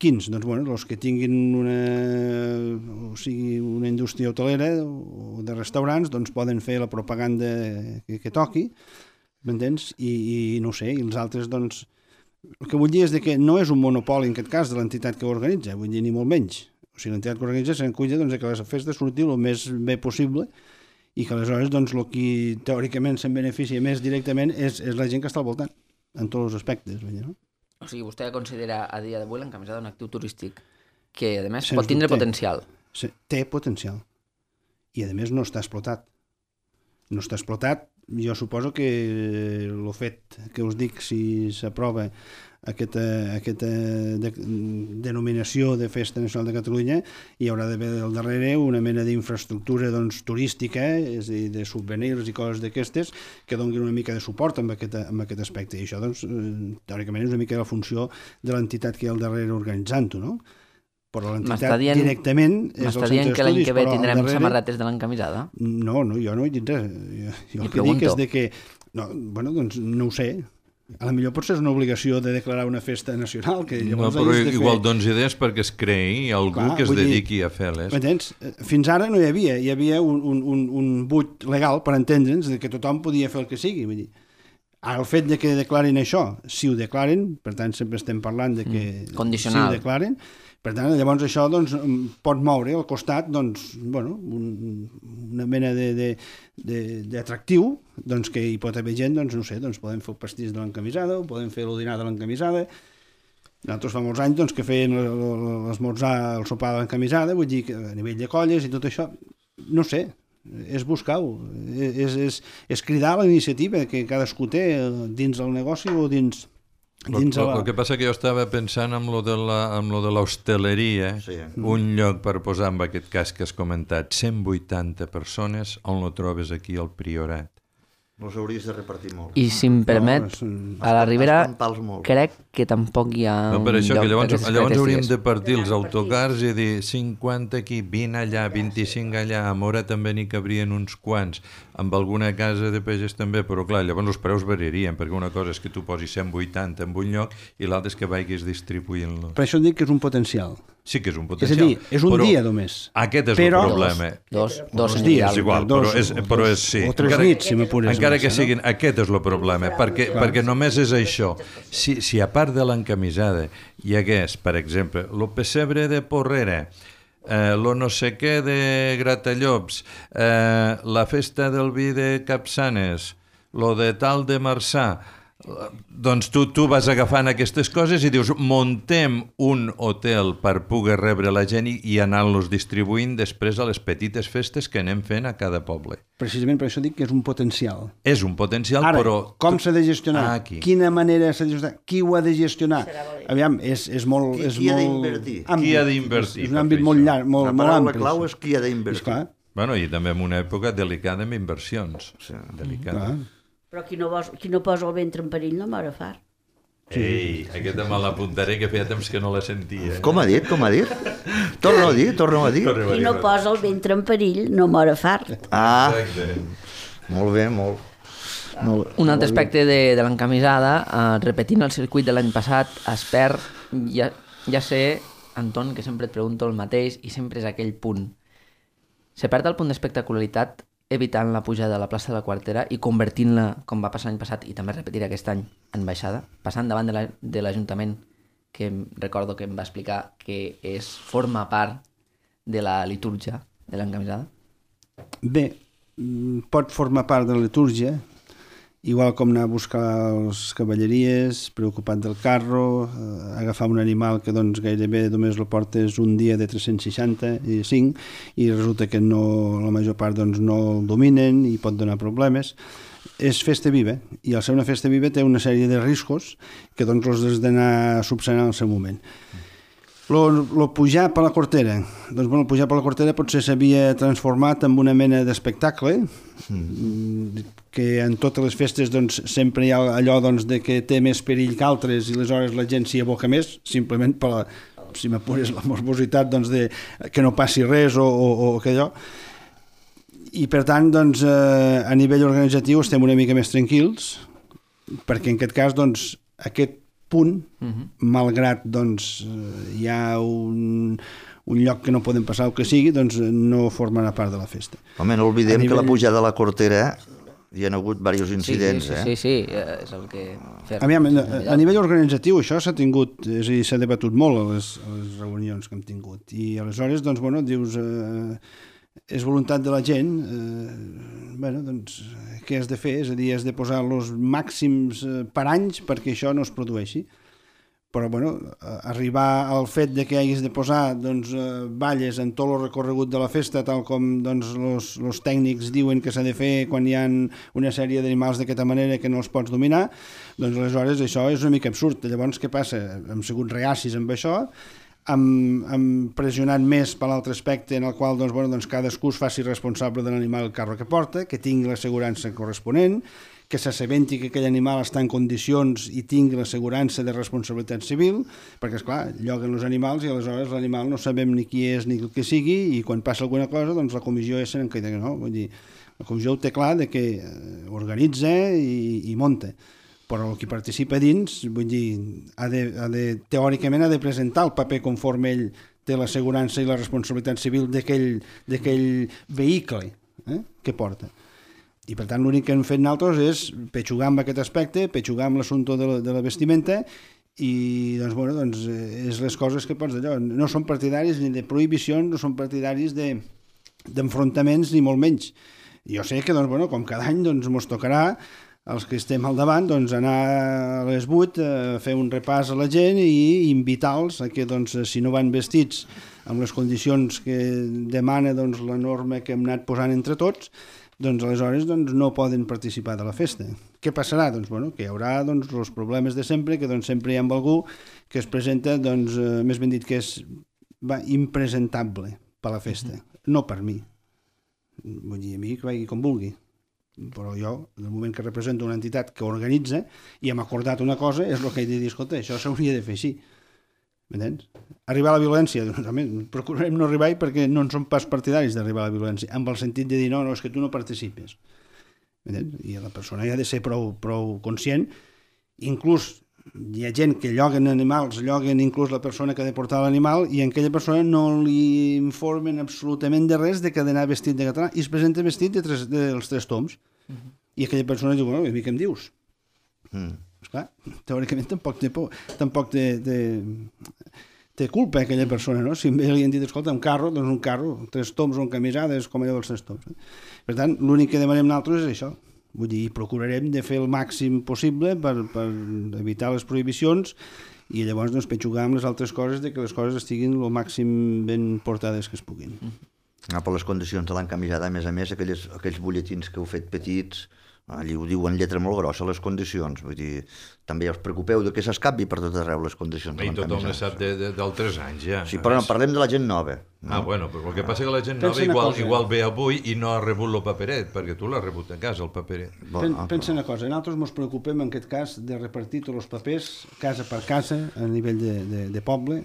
Quins? Doncs, els que tinguin una indústria hotelera o de restaurants, doncs poden fer la propaganda que toqui, m'entens? I no sé, i els altres, doncs, el que vull dir és que no és un monopoli, en aquest cas, de l'entitat que ho organitza, vull dir, ni molt menys. O sigui, l'entitat que organitza se'n cuida que la festa surti el més bé possible i que aleshores, doncs, el que teòricament se'n beneficia més directament és la gent que està al voltant, en tots els aspectes, vull dir, no? O sigui, vostè considera a dia d'avui l'encamisada un actiu turístic que, a més, pot tindre potencial. Sí, té potencial. I, a més, no està explotat. No està explotat. Jo suposo que el fet que us dic, si s'aprova aquesta denominació de Festa Nacional de Catalunya, hi haurà d'haver al darrere una mena d'infraestructura turística, és a dir, de souvenirs i coses d'aquestes, que donin una mica de suport amb aquest aspecte. I això, doncs, teòricament és una mica la funció de l'entitat que hi ha al darrere organitzant-ho, no? Però l'entitat directament és el centre d'estudis. M'està dient que l'any que ve tindrem samarretes de l'encamisada? No, jo no he dit res. Jo el que dic és que... doncs no ho sé. A la millor potser és una obligació de declarar una festa nacional. No, però igual dones idees perquè es creï algú que es dediqui a fer-les. Fins ara no hi havia un buit legal per entendre'ns que tothom podia fer el que sigui. Vull dir, ara el fet de que declarin això, si ho declaren, per tant sempre estem parlant de que condicional. Si ho declaren, per tant, llavors això doncs, pot moure al costat doncs, una mena d'atractiu doncs, que hi pot haver gent, doncs, no sé, doncs, podem fer el pastís de l'encamisada, o podem fer el dinar de l'encamisada. Nosaltres fa molts anys doncs, que feien l'esmorzar, el sopar de l'encamisada, vull dir que a nivell de colles i tot això, no sé, és buscar-ho, és cridar la iniciativa que cadascú té dins el negoci o dins... El que passa que jo estava pensant en lo de l'hostaleria, sí. Un lloc per posar, en aquest cas que has comentat, 180 persones, on lo trobes aquí al Priorat? Els hauries de repartir molt. I si em permet, a la Ribera crec que tampoc hi ha un per això, lloc que llavors hauríem de partir els autocars i dir 50 aquí, 20 allà, 25 allà, a Mora també n'hi cabrien uns quants, amb alguna casa de pagès també, però clar, llavors els preus variarien, perquè una cosa és que tu posis 180 en un lloc i l'altre és que vagis distribuint-lo. Per això dic que és un potencial. Sí que és un potencial. És a dir, és un dia només. Aquest és el problema. Dos dies. És igual, però és sí. O 3 nits, si m'apures. Encara que siguin, aquest és el problema, perquè només és això. Si a part de l'encamisada hi hagués, per exemple, el pessebre de Porrera, lo no sé què de Gratallops, la festa del vi de Capçanes, lo de tal de Marçà, doncs tu vas agafant aquestes coses i dius muntem un hotel per poder rebre la gent i anar-los distribuint després a les petites festes que anem fent a cada poble. Precisament per això dic que és un potencial. És un potencial, ara, però... com s'ha de gestionar? Quina manera s'ha de gestionar? Qui ho ha de gestionar? Aviam, és molt... Qui ha d'invertir? Qui ha d'invertir? És un àmbit molt llarg, molt ampli. La paraula clau és qui ha d'invertir. Bueno, i també en una època delicada amb inversions. Delicada. Però qui no posa el ventre en perill no mor a fart. Ei, aquesta me l'apuntaré, que feia temps que no la sentia. Com ha dit? Torna-ho a dir. Qui no posa el ventre en perill no mor a fart. Ah, molt bé, molt. Un altre aspecte de l'encamisada, repetint el circuit de l'any passat, es perd, ja sé, Anton, que sempre et pregunto el mateix i sempre és aquell punt. Se perd el punt d'espectacularitat evitant la pujada a la plaça de la Quartera i convertint-la, com va passar l'any passat i també repetiré aquest any, en baixada, passant davant de l'Ajuntament, que recordo que em va explicar que forma part de la litúrgia de l'encamisada? Bé, pot formar part de la litúrgia, igual com anar a buscar els cavalleries, preocupat del carro, agafar un animal que doncs, gairebé només el portes un dia de 365 i resulta que la major part doncs, no el dominen i pot donar problemes. és festa viva, i al ser una festa viva té una sèrie de riscos que doncs els has d'anar subsanant al seu moment. Lo pujar per la cortera. Doncs bueno, el pujar per la cortera potser s'havia transformat en una mena d'espectacle, que en totes les festes doncs, sempre hi ha allò doncs, de que té més perill que altres i aleshores la gent s'hi aboca més, simplement per la, si m'apures, la morbositat doncs, de que no passi res o que allò. I per tant, doncs, a nivell organitzatiu estem una mica més tranquils, perquè en aquest cas, doncs, aquest punt, malgrat doncs, hi ha un lloc que no podem passar o que sigui, doncs no formarà part de la festa. Home, no oblidem que la pujada de la cortera hi ha hagut diversos incidents. Sí, és el que... Aviam, a nivell organitzatiu això s'ha tingut, és a dir, s'ha debatut molt a les reunions que hem tingut, i aleshores, doncs, bueno, dius... és voluntat de la gent, bueno, doncs, què has de fer? És a dir, has de posar els màxims per anys perquè això no es produeixi. Però, bueno, arribar al fet de que hagis de posar doncs, balles en tot el recorregut de la festa, tal com doncs, els tècnics diuen que s'ha de fer quan hi ha una sèrie d'animals d'aquesta manera que no els pots dominar, doncs aleshores això és una mica absurd. Llavors, què passa? Hem sigut reacis amb això, hem pressionat més per l'altre aspecte en el qual doncs, bueno, doncs cadascú es faci responsable de l'animal el carro que porta, que tingui l'assegurança corresponent, que s'assabenti que aquell animal està en condicions i tingui l'assegurança de responsabilitat civil, perquè, esclar, lloguen els animals i aleshores l'animal no sabem ni qui és ni el que sigui, i quan passa alguna cosa, doncs la comissió és en que no, vull dir, la comissió ho té clar de que organitza i munta. Però el que participa dins, vull dir, teòricament ha de presentar el paper conforme ell té l'assegurança i la responsabilitat civil d'aquell vehicle que porta. I per tant l'únic que hem fet nosaltres és petxugar amb aquest aspecte, petxugar amb l'assumpte de la vestimenta i doncs, bueno, doncs, és les coses que pots d'allò. No són partidaris ni de prohibicions, no són partidaris d'enfrontaments ni molt menys. Jo sé que, doncs, bueno, com cada any doncs, mos tocarà els que estem al davant, doncs, anar a les 8 a fer un repàs a la gent i invitar-los a que, doncs, si no van vestits amb les condicions que demana doncs, la norma que hem anat posant entre tots, doncs aleshores doncs, no poden participar de la festa. Què passarà? Doncs, bueno, que hi haurà doncs, els problemes de sempre, que doncs, sempre hi ha algú que es presenta, doncs, més ben dit, que és impresentable per la festa. No per mi. Vull dir, a mi que vagi com vulgui. Però jo, en el moment que represento una entitat que organitza i hem acordat una cosa, és el que he de dir, escolta, això s'hauria de fer així. M'entens? Arribar a la violència, doncs, procurarem no arribar-hi perquè no en som pas partidaris d'arribar a la violència, amb el sentit de dir, no, és que tu no participes. M'entens? I la persona ha de ser prou conscient. Inclús hi ha gent que lloguen animals, lloguen inclús la persona que ha de portar l'animal i en aquella persona no li informen absolutament de res de que ha d'anar vestit de català i es presenta vestit dels 3 toms. I aquella persona diu, bueno, a mi què em dius? Esclar, teòricament tampoc té culpa aquella persona, no? Si a ell li han dit, escolta, un carro, doncs un carro, 3 toms o un camisades, com allò dels 3 toms. Per tant, l'únic que demanem nosaltres és això. Vull dir, procurarem de fer el màxim possible per evitar les prohibicions i llavors doncs, petxugar amb les altres coses de que les coses estiguin el màxim ben portades que es puguin. Per les condicions de l'encamisada, a més, aquells butlletins que heu fet petits, allí ho diuen en lletra molt grossa, les condicions. Vull dir, també us preocupeu de que s'escapi per tot arreu les condicions de l'encamisada. I tothom ne sap dels 3 anys, ja. Sí, però no, parlem de la gent nova. No? Bueno, però el que passa que la gent nova igual ve avui i no ha rebut el paperet, perquè tu l'has rebut a casa, el paperet. Pensa una cosa, nosaltres ens preocupem en aquest cas de repartir tots els papers casa per casa a nivell de poble,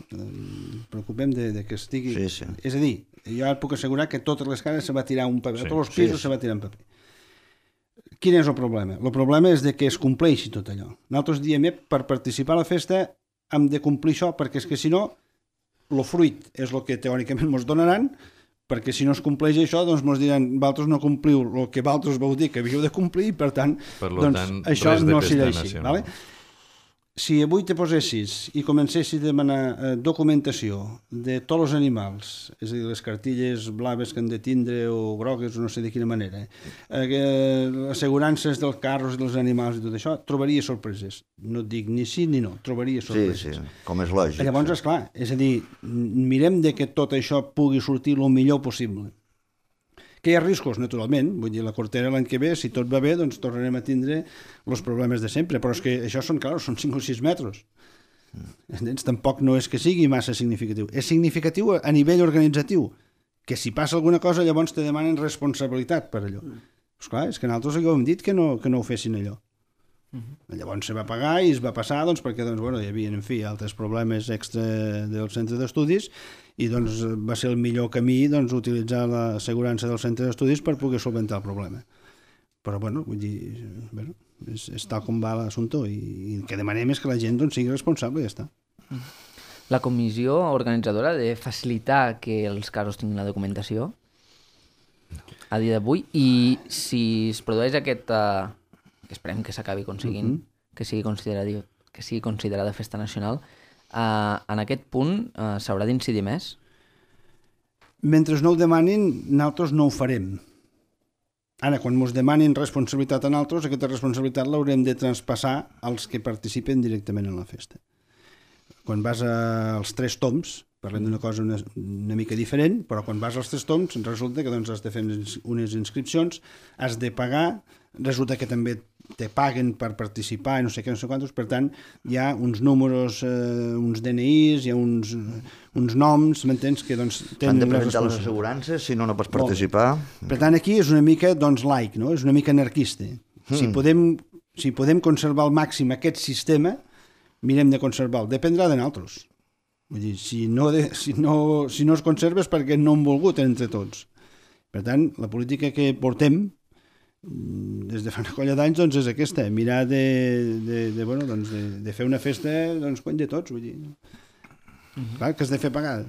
preocupem de que estigui... Sí. És a dir, jo et puc assegurar que totes les cases se va tirar un paper, a tots els pisos se va tirar un paper. Quin és el problema? El problema és de que es compleixi tot allò. Nosaltres diem, per participar a la festa hem de complir això, perquè és que si no, el fruit és el que teòricament ens donaran, perquè si no es compleix això, doncs ens diran, vosaltres no compliu el que vosaltres vau dir que havíeu de complir, i per tant, això no serà així. Vale? Si avui te posessis i comencessis a demanar documentació de tots els animals, és a dir, les cartilles blaves que han de tindre o grogues o no sé de quina manera, assegurances dels carros i dels animals i tot això, trobaria sorpreses. No et dic ni sí ni no, trobaria sorpreses. Sí, com és lògic. Llavors, esclar, és a dir, mirem de que tot això pugui sortir el millor possible. Que hi ha riscos, naturalment. Vull dir, la Cortera l'any que ve, si tot va bé, doncs tornarem a tindre els problemes de sempre. Però és que això són 5 o 6 metres. Entens? Tampoc no és que sigui massa significatiu. És significatiu a nivell organitzatiu, que si passa alguna cosa llavors te demanen responsabilitat per allò. Esclar, és que nosaltres ho hem dit que no ho fessin allò. Llavors se va pagar i es va passar doncs, perquè hi havia, en fi, altres problemes extra del centre d'estudis i doncs, va ser el millor camí utilitzar l'assegurança del centre d'estudis per poder solventar el problema. Però, vull dir, és tal com va l'assumpte i el que demanem és que la gent sigui responsable i ja està. La comissió organitzadora ha de facilitar que els casos tinguin la documentació a dia d'avui i si es produeix aquest... que esperem que s'acabi aconseguint, que sigui considerada festa nacional, en aquest punt s'haurà d'incidir més? Mentre no ho demanin, nosaltres no ho farem. Ara, quan ens demanin responsabilitat a nosaltres, aquesta responsabilitat l'haurem de traspassar als que participen directament en la festa. Quan vas als 3 toms, parlem d'una cosa una mica diferent, però quan vas als 3 toms resulta que has de fer unes inscripcions, has de pagar, resulta que també te paguen per participar i no sé què, no sé quantos, per tant hi ha uns números, uns DNIs, hi ha uns noms, m'entens, que tenen... Han de presentar les assegurances, si no pots participar. Per tant, aquí és una mica laic, no? És una mica anarquista. Si podem conservar al màxim aquest sistema, mirem de conservar-lo. Dependrà de nosaltres. Vull dir, si no es conserva és perquè no hem volgut entre tots. Per tant, la política que portem des de fa una colla d'anys és aquesta, mirar de fer una festa quan de tots, vull dir. Clar, que has de fer pagar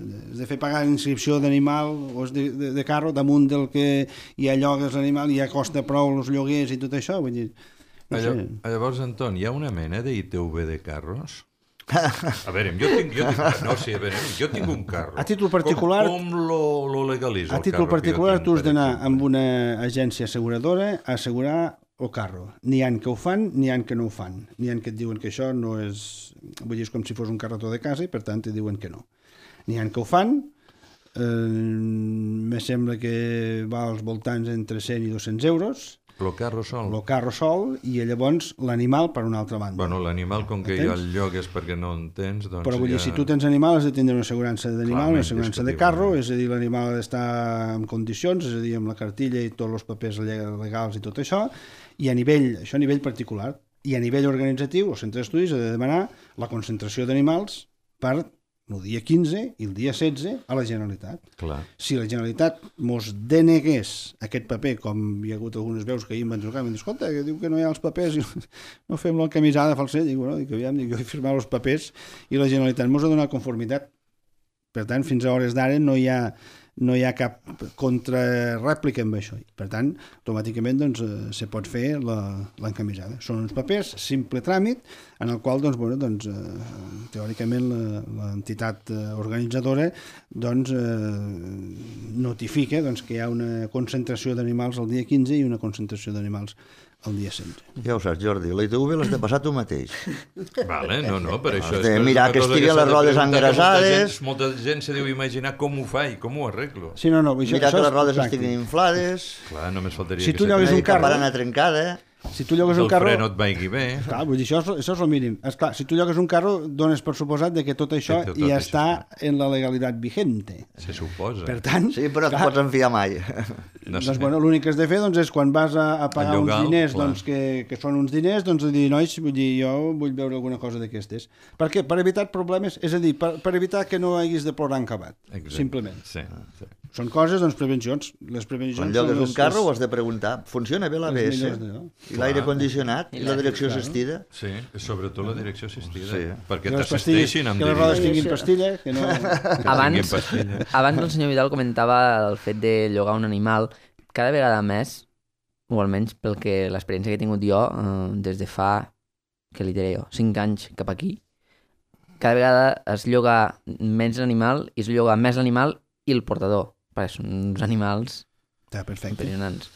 l'inscripció d'animal o de carro damunt del que ja llogues l'animal i ja costa prou els lloguers i tot això, vull dir. Llavors, Anton, hi ha una mena d'ITV de carros? A veure, jo tinc un carro. A títol particular... Com lo legalitza el carro? A títol particular tu has d'anar amb una agència asseguradora a assegurar el carro. N'hi ha que ho fan, n'hi ha que no ho fan. N'hi ha que et diuen que això no és... Vull dir, és com si fos un carretó de casa i per tant et diuen que no. N'hi ha que ho fan, me sembla que va als voltants entre 100 i 200 euros. El carro sol. El carro sol i llavors l'animal per una altra banda. Bueno, l'animal, com que ja el llogues perquè no en tens, doncs però vull dir, si tu tens animal has de tindre una assegurança d'animal, una assegurança de carro, és a dir, l'animal ha d'estar en condicions, és a dir, amb la cartilla i tots els papers legals i tot això, i això a nivell particular. I a nivell organitzatiu, el centre d'estudis ha de demanar la concentració d'animals per el dia 15 i el dia 16 a la Generalitat. Clar. Si la Generalitat mos denegués aquest paper, com hi ha hagut algunes veus que ahir em van trucar, em diuen, escolta, que diu que no hi ha els papers, i no fem la camisada falsa, dic, jo he firmat els papers i la Generalitat mos ha donat conformitat. Per tant, fins a hores d'ara no hi ha cap contrarèplica amb això. Per tant, automàticament se pot fer l'encamisada. Són uns papers, simple tràmit, en el qual teòricament l'entitat organitzadora notifica que hi ha una concentració d'animals el dia 15 i una concentració d'animals el dia 16. Ja ho saps, Jordi, la ITV l'has de passar tu mateix. Vale, no, per això... Has de mirar que estiguen les rodes engrasades... Molta gent se deu imaginar com ho fa i com ho arreglo. Sí, no, mirar que les rodes estiguin inflades... Clar, només faltaria si tu llogues un carro... barana trencada... Si tu llogues un carro... El fre no et vagi bé... Clar, vull dir, això és el mínim. Esclar, si tu llogues un carro, dones per suposat que tot això ja està en la legalitat vigente. Se suposa. Per tant... Sí, però no et pots enfiar mai. Doncs, l'únic que has de fer és quan vas a pagar uns diners, que són uns diners, dir, nois, jo vull veure alguna cosa d'aquestes. Per què? Per evitar problemes, és a dir, per evitar que no haguis de plorar en acabat, simplement. Sí. Són coses, prevencions. Les prevencions quan llogues un carro ho has de preguntar, funciona bé l'ABS? I l'aire condicionat? I la direcció assistida? Sí, sobretot la direcció assistida. Sí. Perquè t'assisteixin amb que les rodes tinguin pastilla. Que no... Abans el senyor Vidal comentava el fet de llogar un animal. Cada vegada més, o almenys pel que l'experiència que he tingut jo des de fa, què li diré jo, 5 anys cap aquí, cada vegada es lloga menys l'animal i es lloga més l'animal i el portador, perquè són uns animals impressionants.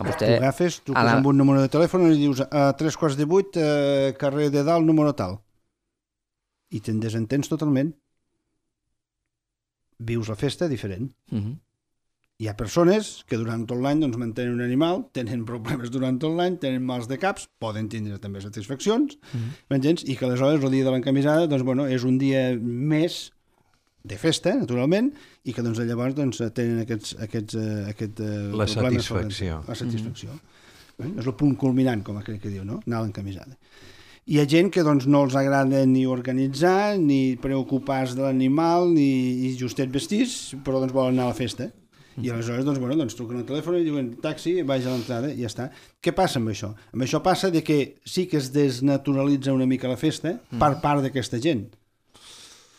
Tu agafes, truques amb un número de telèfon i dius a 7:45, carrer de dalt, número tal. I te'n desentens totalment. Vius la festa diferent. Hi ha persones que durant tot l'any doncs, mantenen un animal, tenen problemes durant tot l'any, tenen mals de caps, poden tindre també satisfaccions, m'entens? I que aleshores el dia de l'encamisada doncs, bueno, és un dia més de festa, naturalment, i que doncs, llavors doncs, tenen la satisfacció. La satisfacció. És el punt culminant, com aquell que diu, no? Anar a l'encamisada. Hi ha gent que doncs, no els agrada ni organitzar, ni preocupar-se de l'animal, ni justet vestits, però doncs, volen anar a la festa. I aleshores doncs, bueno, doncs, truquen al telèfon i diuen taxi, vaig a l'entrada i ja està. Què passa amb això? Amb això passa de que sí que es desnaturalitza una mica la festa per part d'aquesta gent.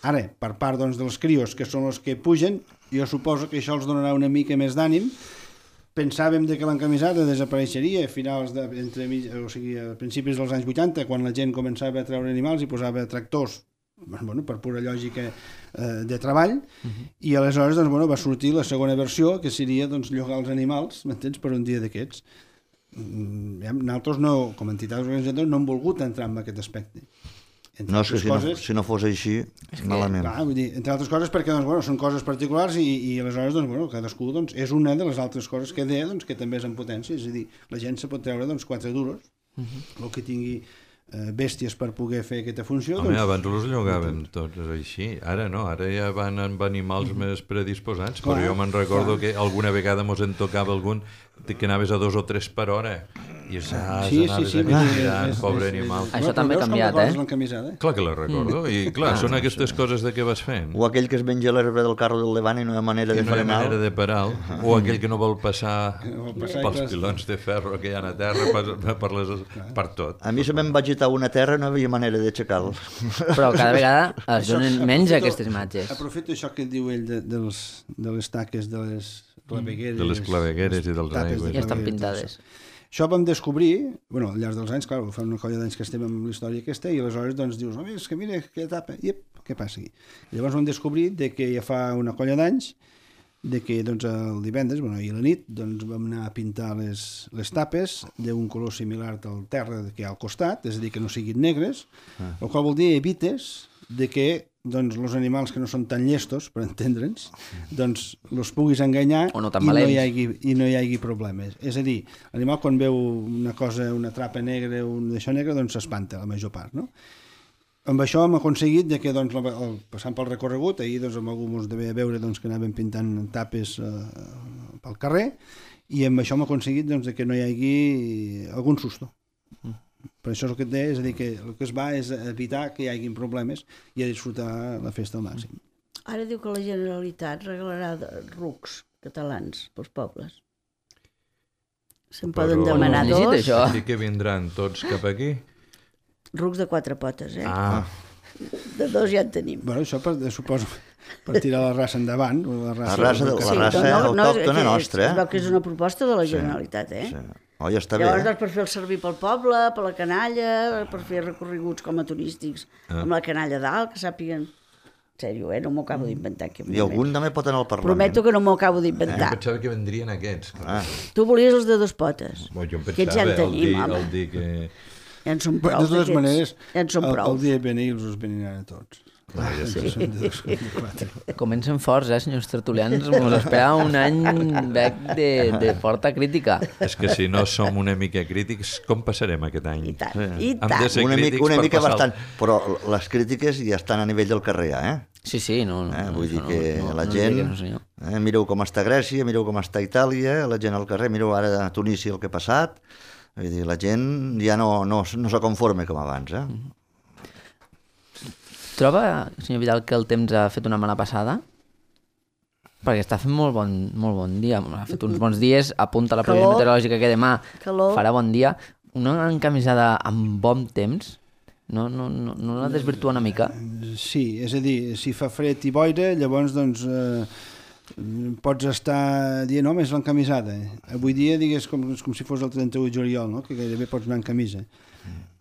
Ara, per part doncs, dels crios, que són els que pugen, jo suposo que això els donarà una mica més d'ànim. Pensàvem que l'encamisada desapareixeria a principis dels anys 80, quan la gent començava a treure animals i posava tractors, bueno, per pura lògica de treball, i aleshores doncs, bueno, va sortir la segona versió, que seria doncs, llogar els animals, m'entens, per un dia d'aquests. Nosaltres, com a entitats organitzadores, no hem volgut entrar en aquest aspecte. No, és que si no fos així, malament. Clar, vull dir, entre altres coses, perquè doncs, bueno, són coses particulars i aleshores doncs, bueno, cadascú doncs, és una de les altres coses que deia doncs, que també és en potència, és a dir, la gent se pot treure doncs, 4 duros, el que tingui bèsties per poder fer aquesta funció. Home, abans els llogàvem tots així, ara no, ara ja van amb animals més predisposats, però jo me'n recordo que alguna vegada mos en tocava algun que anaves a 2 o 3 per hora i anaves mirant, pobre animal. Això també ha canviat, Clar que la recordo, i clar, són aquestes coses de què vas fent. O aquell que es menja l'herba del carro del davant i no hi ha manera de frenar. No hi ha manera de parar, o aquell que no vol passar pels pilons de ferro que hi ha a terra, per tot. A mi se me'n va agitar una terra i no hi havia manera d'aixecar-lo. Però cada vegada es donen menys aquestes imatges. Aprofito això que diu ell de les taques, de les clavegueres. De les clavegueres i dels aigües. I estan pintades. Això vam descobrir, bueno, al llarg dels anys, clar, fa una colla d'anys que estem amb la història aquesta, i aleshores doncs dius, home, és que mira, aquella etapa, què passa aquí? I llavors vam descobrir que ja fa una colla d'anys, que doncs, el divendres, bueno, i a la nit, doncs vam anar a pintar les tapes d'un color similar al terra que hi ha al costat, és a dir, que no siguin negres, el qual vol dir evites de que doncs, els animals que no són tan llestos, per entendre'ns, doncs els puguis enganyar no i no hi hagi problemes. És a dir, l'animal quan veu una cosa, una trapa negra o un d'això negre, doncs s'espanta la major part, no? Amb això hem aconseguit que, doncs, passant pel recorregut, ahir doncs, amb algú ens devia veure doncs, que anàvem pintant tapes pel carrer, i amb això hem aconseguit doncs, que no hi hagi algun susto. Per això és el que et deia, és a dir, que el que es va és evitar que hi hagin problemes i a disfrutar la festa al màxim. Ara diu que la Generalitat regalarà rucs catalans pels pobles. Se'n poden demanar 2. I que vindran tots cap aquí? Rucs de 4 potes, De 2 ja en tenim. Bueno, això suposo per tirar la raça endavant. La raça autòctona nostra. Es veu que és una proposta de la Generalitat, Sí. Oh, ja està llavors, bé. per fer el servir pel poble, per la canalla, per fer recorreguts com a turístics, amb la canalla dalt, que sàpiguen... En sèrio, no m'ho acabo d'inventar. I algun també pot anar al Parlament. Prometo que no m'ho acabo d'inventar. Jo pensava que vendrien aquests. Tu volies els de 2 potes. Jo em pensava el dir que... Ja en són prou. De totes maneres, el dia de venir els veniran a tots. Comencen forts, senyor tertulians. Ens esperava un any de forta crítica. És que si no som una mica crítics, com passarem aquest any? I tant, i tant. Hem de ser crítics una mica bastant, però les crítiques ja estan a nivell del carrer, Sí, no. Vull dir que la gent... Mireu com està Grècia, mireu com està Itàlia, la gent al carrer, mireu ara a Tunísia el que ha passat. Vull dir, la gent ja no se conforma com abans, Troba, senyor Vidal, que el temps ha fet una mala passada? Perquè està fent molt bon dia. Ha fet uns bons dies, apunta la previsió meteorològica que demà farà bon dia. Una encamisada amb bon temps no la desvirtua una mica? Sí, és a dir, si fa fred i boira, llavors doncs pots estar dient, home, és l'encamisada. Avui dia, digues, com si fos el 31 de juliol, no? Que gairebé pots anar en camisa.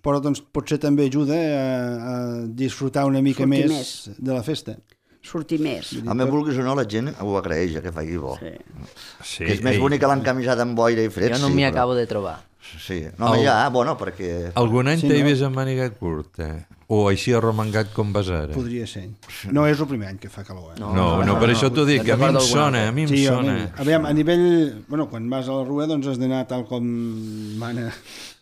Però doncs, potser també ajuda a disfrutar una mica més de la festa. Sortir més. Home, vulguis o no, la gent ho agraeix, que faci bo. Sí, que és més bonic l'encamisada amb boira i fred. Jo no m'hi acabo de trobar. Sí, no, perquè... Algun any t'he vist amb màniga curta. O així arromangat com va ser? Podria ser. No és el primer any que fa calor, No, per això t'ho dic, a mi em sona, Sí, a nivell... Bueno, quan vas a la rua, doncs has d'anar tal com mana...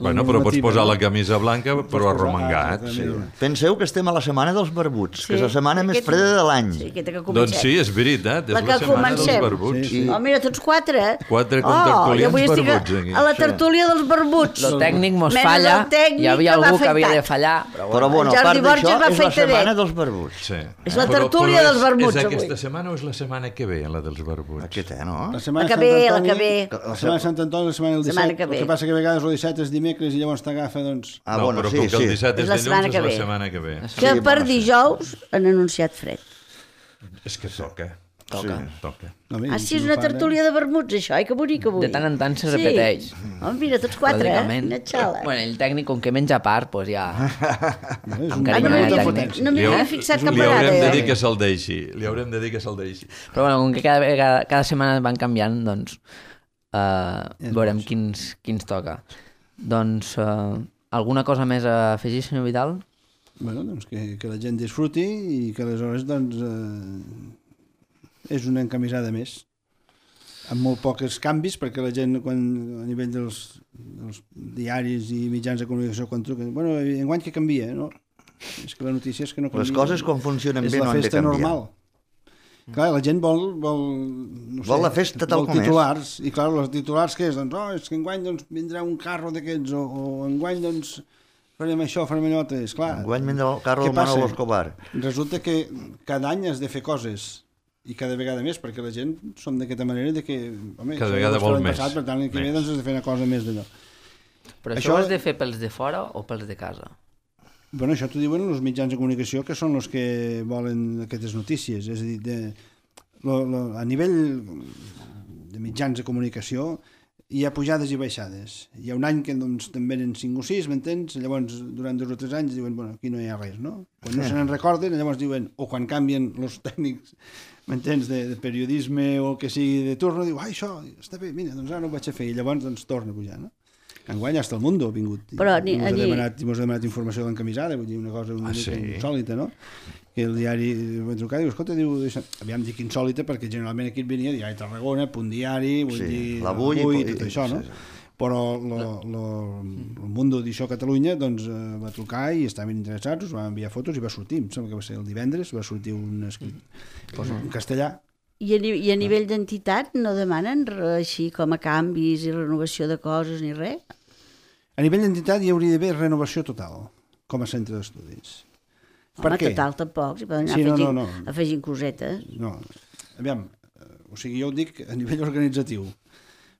Bueno, però pots posar la camisa blanca, però arromangat. Sí. Penseu que estem a la setmana dels barbuts, que és la setmana més freda de l'any. Sí, aquesta que comencem. Doncs sí, és veritat, és la setmana dels barbuts. Sí. Oh, mira, tots 4. 4 contertulians barbuts aquí. A la tertúlia dels barbuts. El tècnic mos falla, hi havia algú que havia de fallar. Però bueno, a part d'això, és la setmana dels barbuts. Sí. És la tertúlia dels barbuts, És avui. aquesta setmana o és la setmana que ve, la dels barbuts? Aquesta, no? La setmana La de que Sant ve, Antoni, la que ve. La setmana de Sant Antoni, la setmana del Setmana 17. que ve. El que passa que a vegades el 17 és dimecres i llavors t'agafa, doncs... Ah, No, bueno, però sí, com que el sí. 17 És és la dilluns, setmana és que la ve. setmana que ve. Que per dijous han anunciat fred. És que toca. Toca. No, bé, Ah, sí, és si una no fa, tertúlia de vermuts, això. Ai, que bonic avui. De tant en tant se repeteix. Oh, mira, tots 4, Lògicament. Una xala. Bueno, el tècnic, com que menja a part, doncs ja... No, és Amb un carinyo, no el m'havia tècnic. no m'hi havia fixat cap Li haurem de vegada. dir que se'l deixi. Li haurem de dir que se'l deixi. Però bueno, com que cada setmana van canviant, doncs veurem quins toca. Doncs alguna cosa més a afegir, senyor Vidal? Bueno, doncs que la gent disfruti i que aleshores, doncs, és una encamisada més. Amb molt pocs canvis, perquè la gent, quan a nivell dels diaris i mitjans de comunicació, quan truquen, bueno, enguany que canvia, no? És que la notícia és que no canvia. Les coses com funcionen bé no han de És la festa canviar. normal. Clar, la gent vol no sé, Vol la festa tal vol com és. titulars, i clar, els titulars què és? Doncs, és que enguany doncs, vindrà un carro d'aquests, o enguany doncs, farem això, farem allò altre. Esclar, Enguany vindrà el carro què del passa? Manolo Escobar. Resulta que cada any has de fer coses, i cada vegada més, perquè la gent som d'aquesta manera de que, home, Cada això vegada ja ho vol hem més. passat, per tant, l'any que ve Més. doncs has de fer una cosa més d'allò. Però això ho has de fer pels de fora o pels de casa? Bueno, això t'ho diuen els mitjans de comunicació, que són els que volen aquestes notícies. És a dir, a nivell de mitjans de comunicació hi ha pujades i baixades. Hi ha un any que doncs, també eren 5 o 6, m'entens? Llavors, durant 2 o 3 anys diuen, bueno, aquí no hi ha res, no? Quan no se n'en recorden, llavors diuen, o quan canvien els tècnics, m'entens, de periodisme o el que sigui de turno, diu, això està bé, mira, doncs ara no ho vaig a fer, i llavors doncs torna a pujar, no? Enguany hasta el Mundo ha vingut. Però Mos ha demanat informació de l'encamisada, vull dir, una cosa una mica insòlita, no? Que el diari va trucar i diu, escolta, aviam, dic insòlita, perquè generalment aquí et venia Diari Tarragona, Punt Diari, vull dir, l'Avui i tot això, no? Però el Mundo d'Això Catalunya doncs, va trucar i estaven interessats, us van enviar fotos i va sortir, em sembla que va ser el divendres, va sortir un escrit en castellà. I a nivell d'entitat no demanen així com a canvis i renovació de coses ni res? A nivell d'entitat hi hauria d'haver renovació total, com a centre d'estudis. Home, total tampoc, s'hi poden anar afegint cosetes. No, aviam, o sigui, jo ho dic a nivell organitzatiu.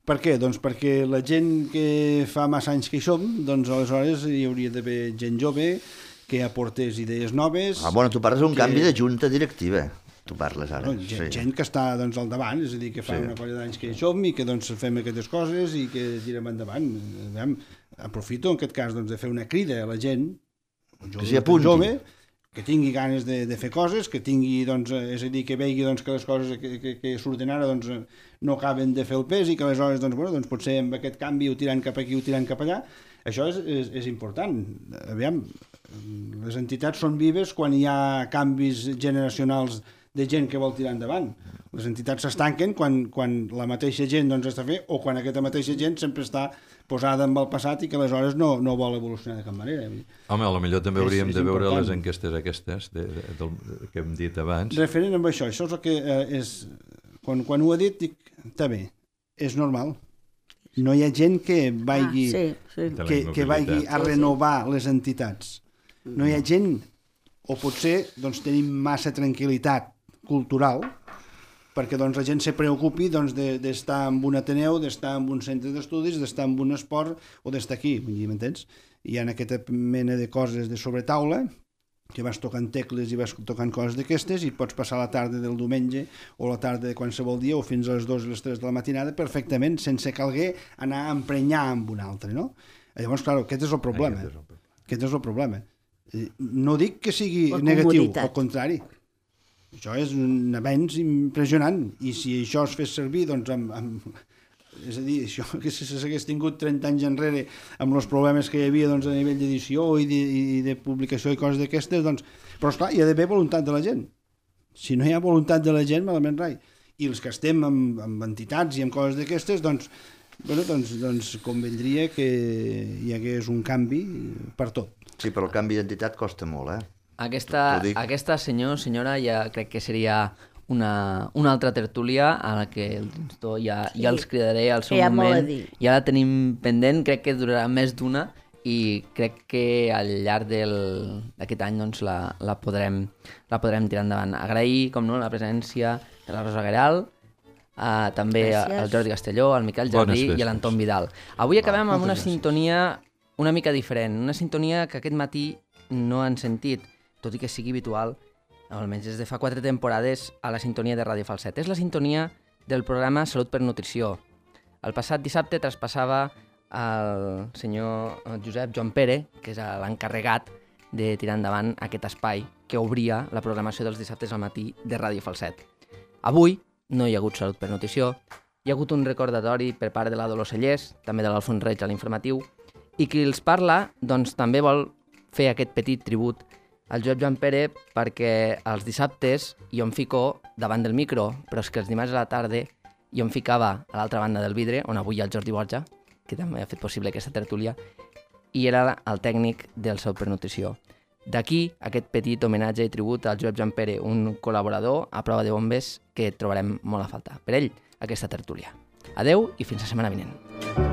Per què? Doncs perquè la gent que fa massa anys que hi som, doncs aleshores hi hauria d'haver gent jove que aportés idees noves. Ah, bueno, tu parles d'un canvi de junta directiva. Tu parles ara. No, gent que està doncs, al davant, és a dir, que fa una colla d'anys que hi som i que doncs, fem aquestes coses i que tirem endavant. Aviam, aprofito en aquest cas doncs, de fer una crida a la gent jove, que tingui ganes de fer coses, que tingui, doncs, és a dir, que vegi doncs, que les coses que surten ara doncs, no acaben de fer el pes i que aleshores doncs, bueno, doncs, potser amb aquest canvi ho tirant cap aquí o tirant cap allà. Això és important. Aviam, les entitats són vives quan hi ha canvis generacionals de gent que vol tirar endavant. Les entitats s'estanquen quan la mateixa gent doncs, està fent o quan aquesta mateixa gent sempre està posada amb el passat i que aleshores no vol evolucionar de cap manera. Home, potser també hauríem de veure les enquestes aquestes que hem dit abans. Referent amb això és el que és... Quan ho ha dit, dic, està bé, és normal. No hi ha gent que vagi, que vagi a renovar les entitats. No hi ha gent, o potser doncs, tenim massa tranquil·litat cultural, perquè doncs, la gent se preocupi doncs, d'estar en un ateneu, d'estar en un centre d'estudis, d'estar en un esport o d'estar aquí, m'entens? Hi ha aquesta mena de coses de sobretaula que vas tocant tecles i vas tocant coses d'aquestes i pots passar la tarda del diumenge o la tarda de qualsevol dia o fins a les 2 o les 3 de la matinada perfectament, sense calguer anar a emprenyar amb un altre, no? Llavors, clar, aquest és el problema. Aquest és el problema. No dic que sigui negatiu, al contrari. Això és un avenç impressionant i si això es fes servir doncs, És a dir, això que si s'hagués tingut 30 anys enrere amb els problemes que hi havia doncs, a nivell d'edició i de publicació i coses d'aquestes, doncs... Però esclar, hi ha d'haver voluntat de la gent. Si no hi ha voluntat de la gent, malament rai. I els que estem amb entitats i amb coses d'aquestes, doncs convendria que hi hagués un canvi per tot. Sí, però el canvi d'identitat costa molt, Aquesta senyora, ja crec que seria una altra tertúlia a la que ja els cridaré al seu moment. Ja la tenim pendent, crec que durarà més d'una i crec que al llarg d'aquest any doncs, la podrem tirar endavant. Agrair, com no, la presència de la Rosa Gueral, també al Jordi Castelló, al Miquel Jardí i a l'Anton Vidal. Avui acabem amb una sintonia una mica diferent, una sintonia que aquest matí no han sentit, tot i que sigui habitual, almenys des de fa 4 temporades, a la sintonia de Ràdio Falset. És la sintonia del programa Salut per Nutrició. El passat dissabte traspassava el senyor Josep Joan Pere, que és l'encarregat de tirar endavant aquest espai que obria la programació dels dissabtes al matí de Ràdio Falset. Avui no hi ha hagut Salut per Nutrició, hi ha hagut un recordatori per part de la Dolors Cellers, també de l'Alfons Reig a l'informatiu, i qui els parla doncs, també vol fer aquest petit tribut al Josep Joan Pere perquè els dissabtes jo em fico davant del micro, però és que els dimarts a la tarda jo em ficava a l'altra banda del vidre, on avui hi ha el Jordi Borja, que també ha fet possible aquesta tertúlia, i era el tècnic del Salut per Nutrició. D'aquí aquest petit homenatge i tribut al Josep Joan Pere, un col·laborador a prova de bombes que trobarem molt a faltar. Per ell, aquesta tertúlia. Adeu i fins la setmana vinent.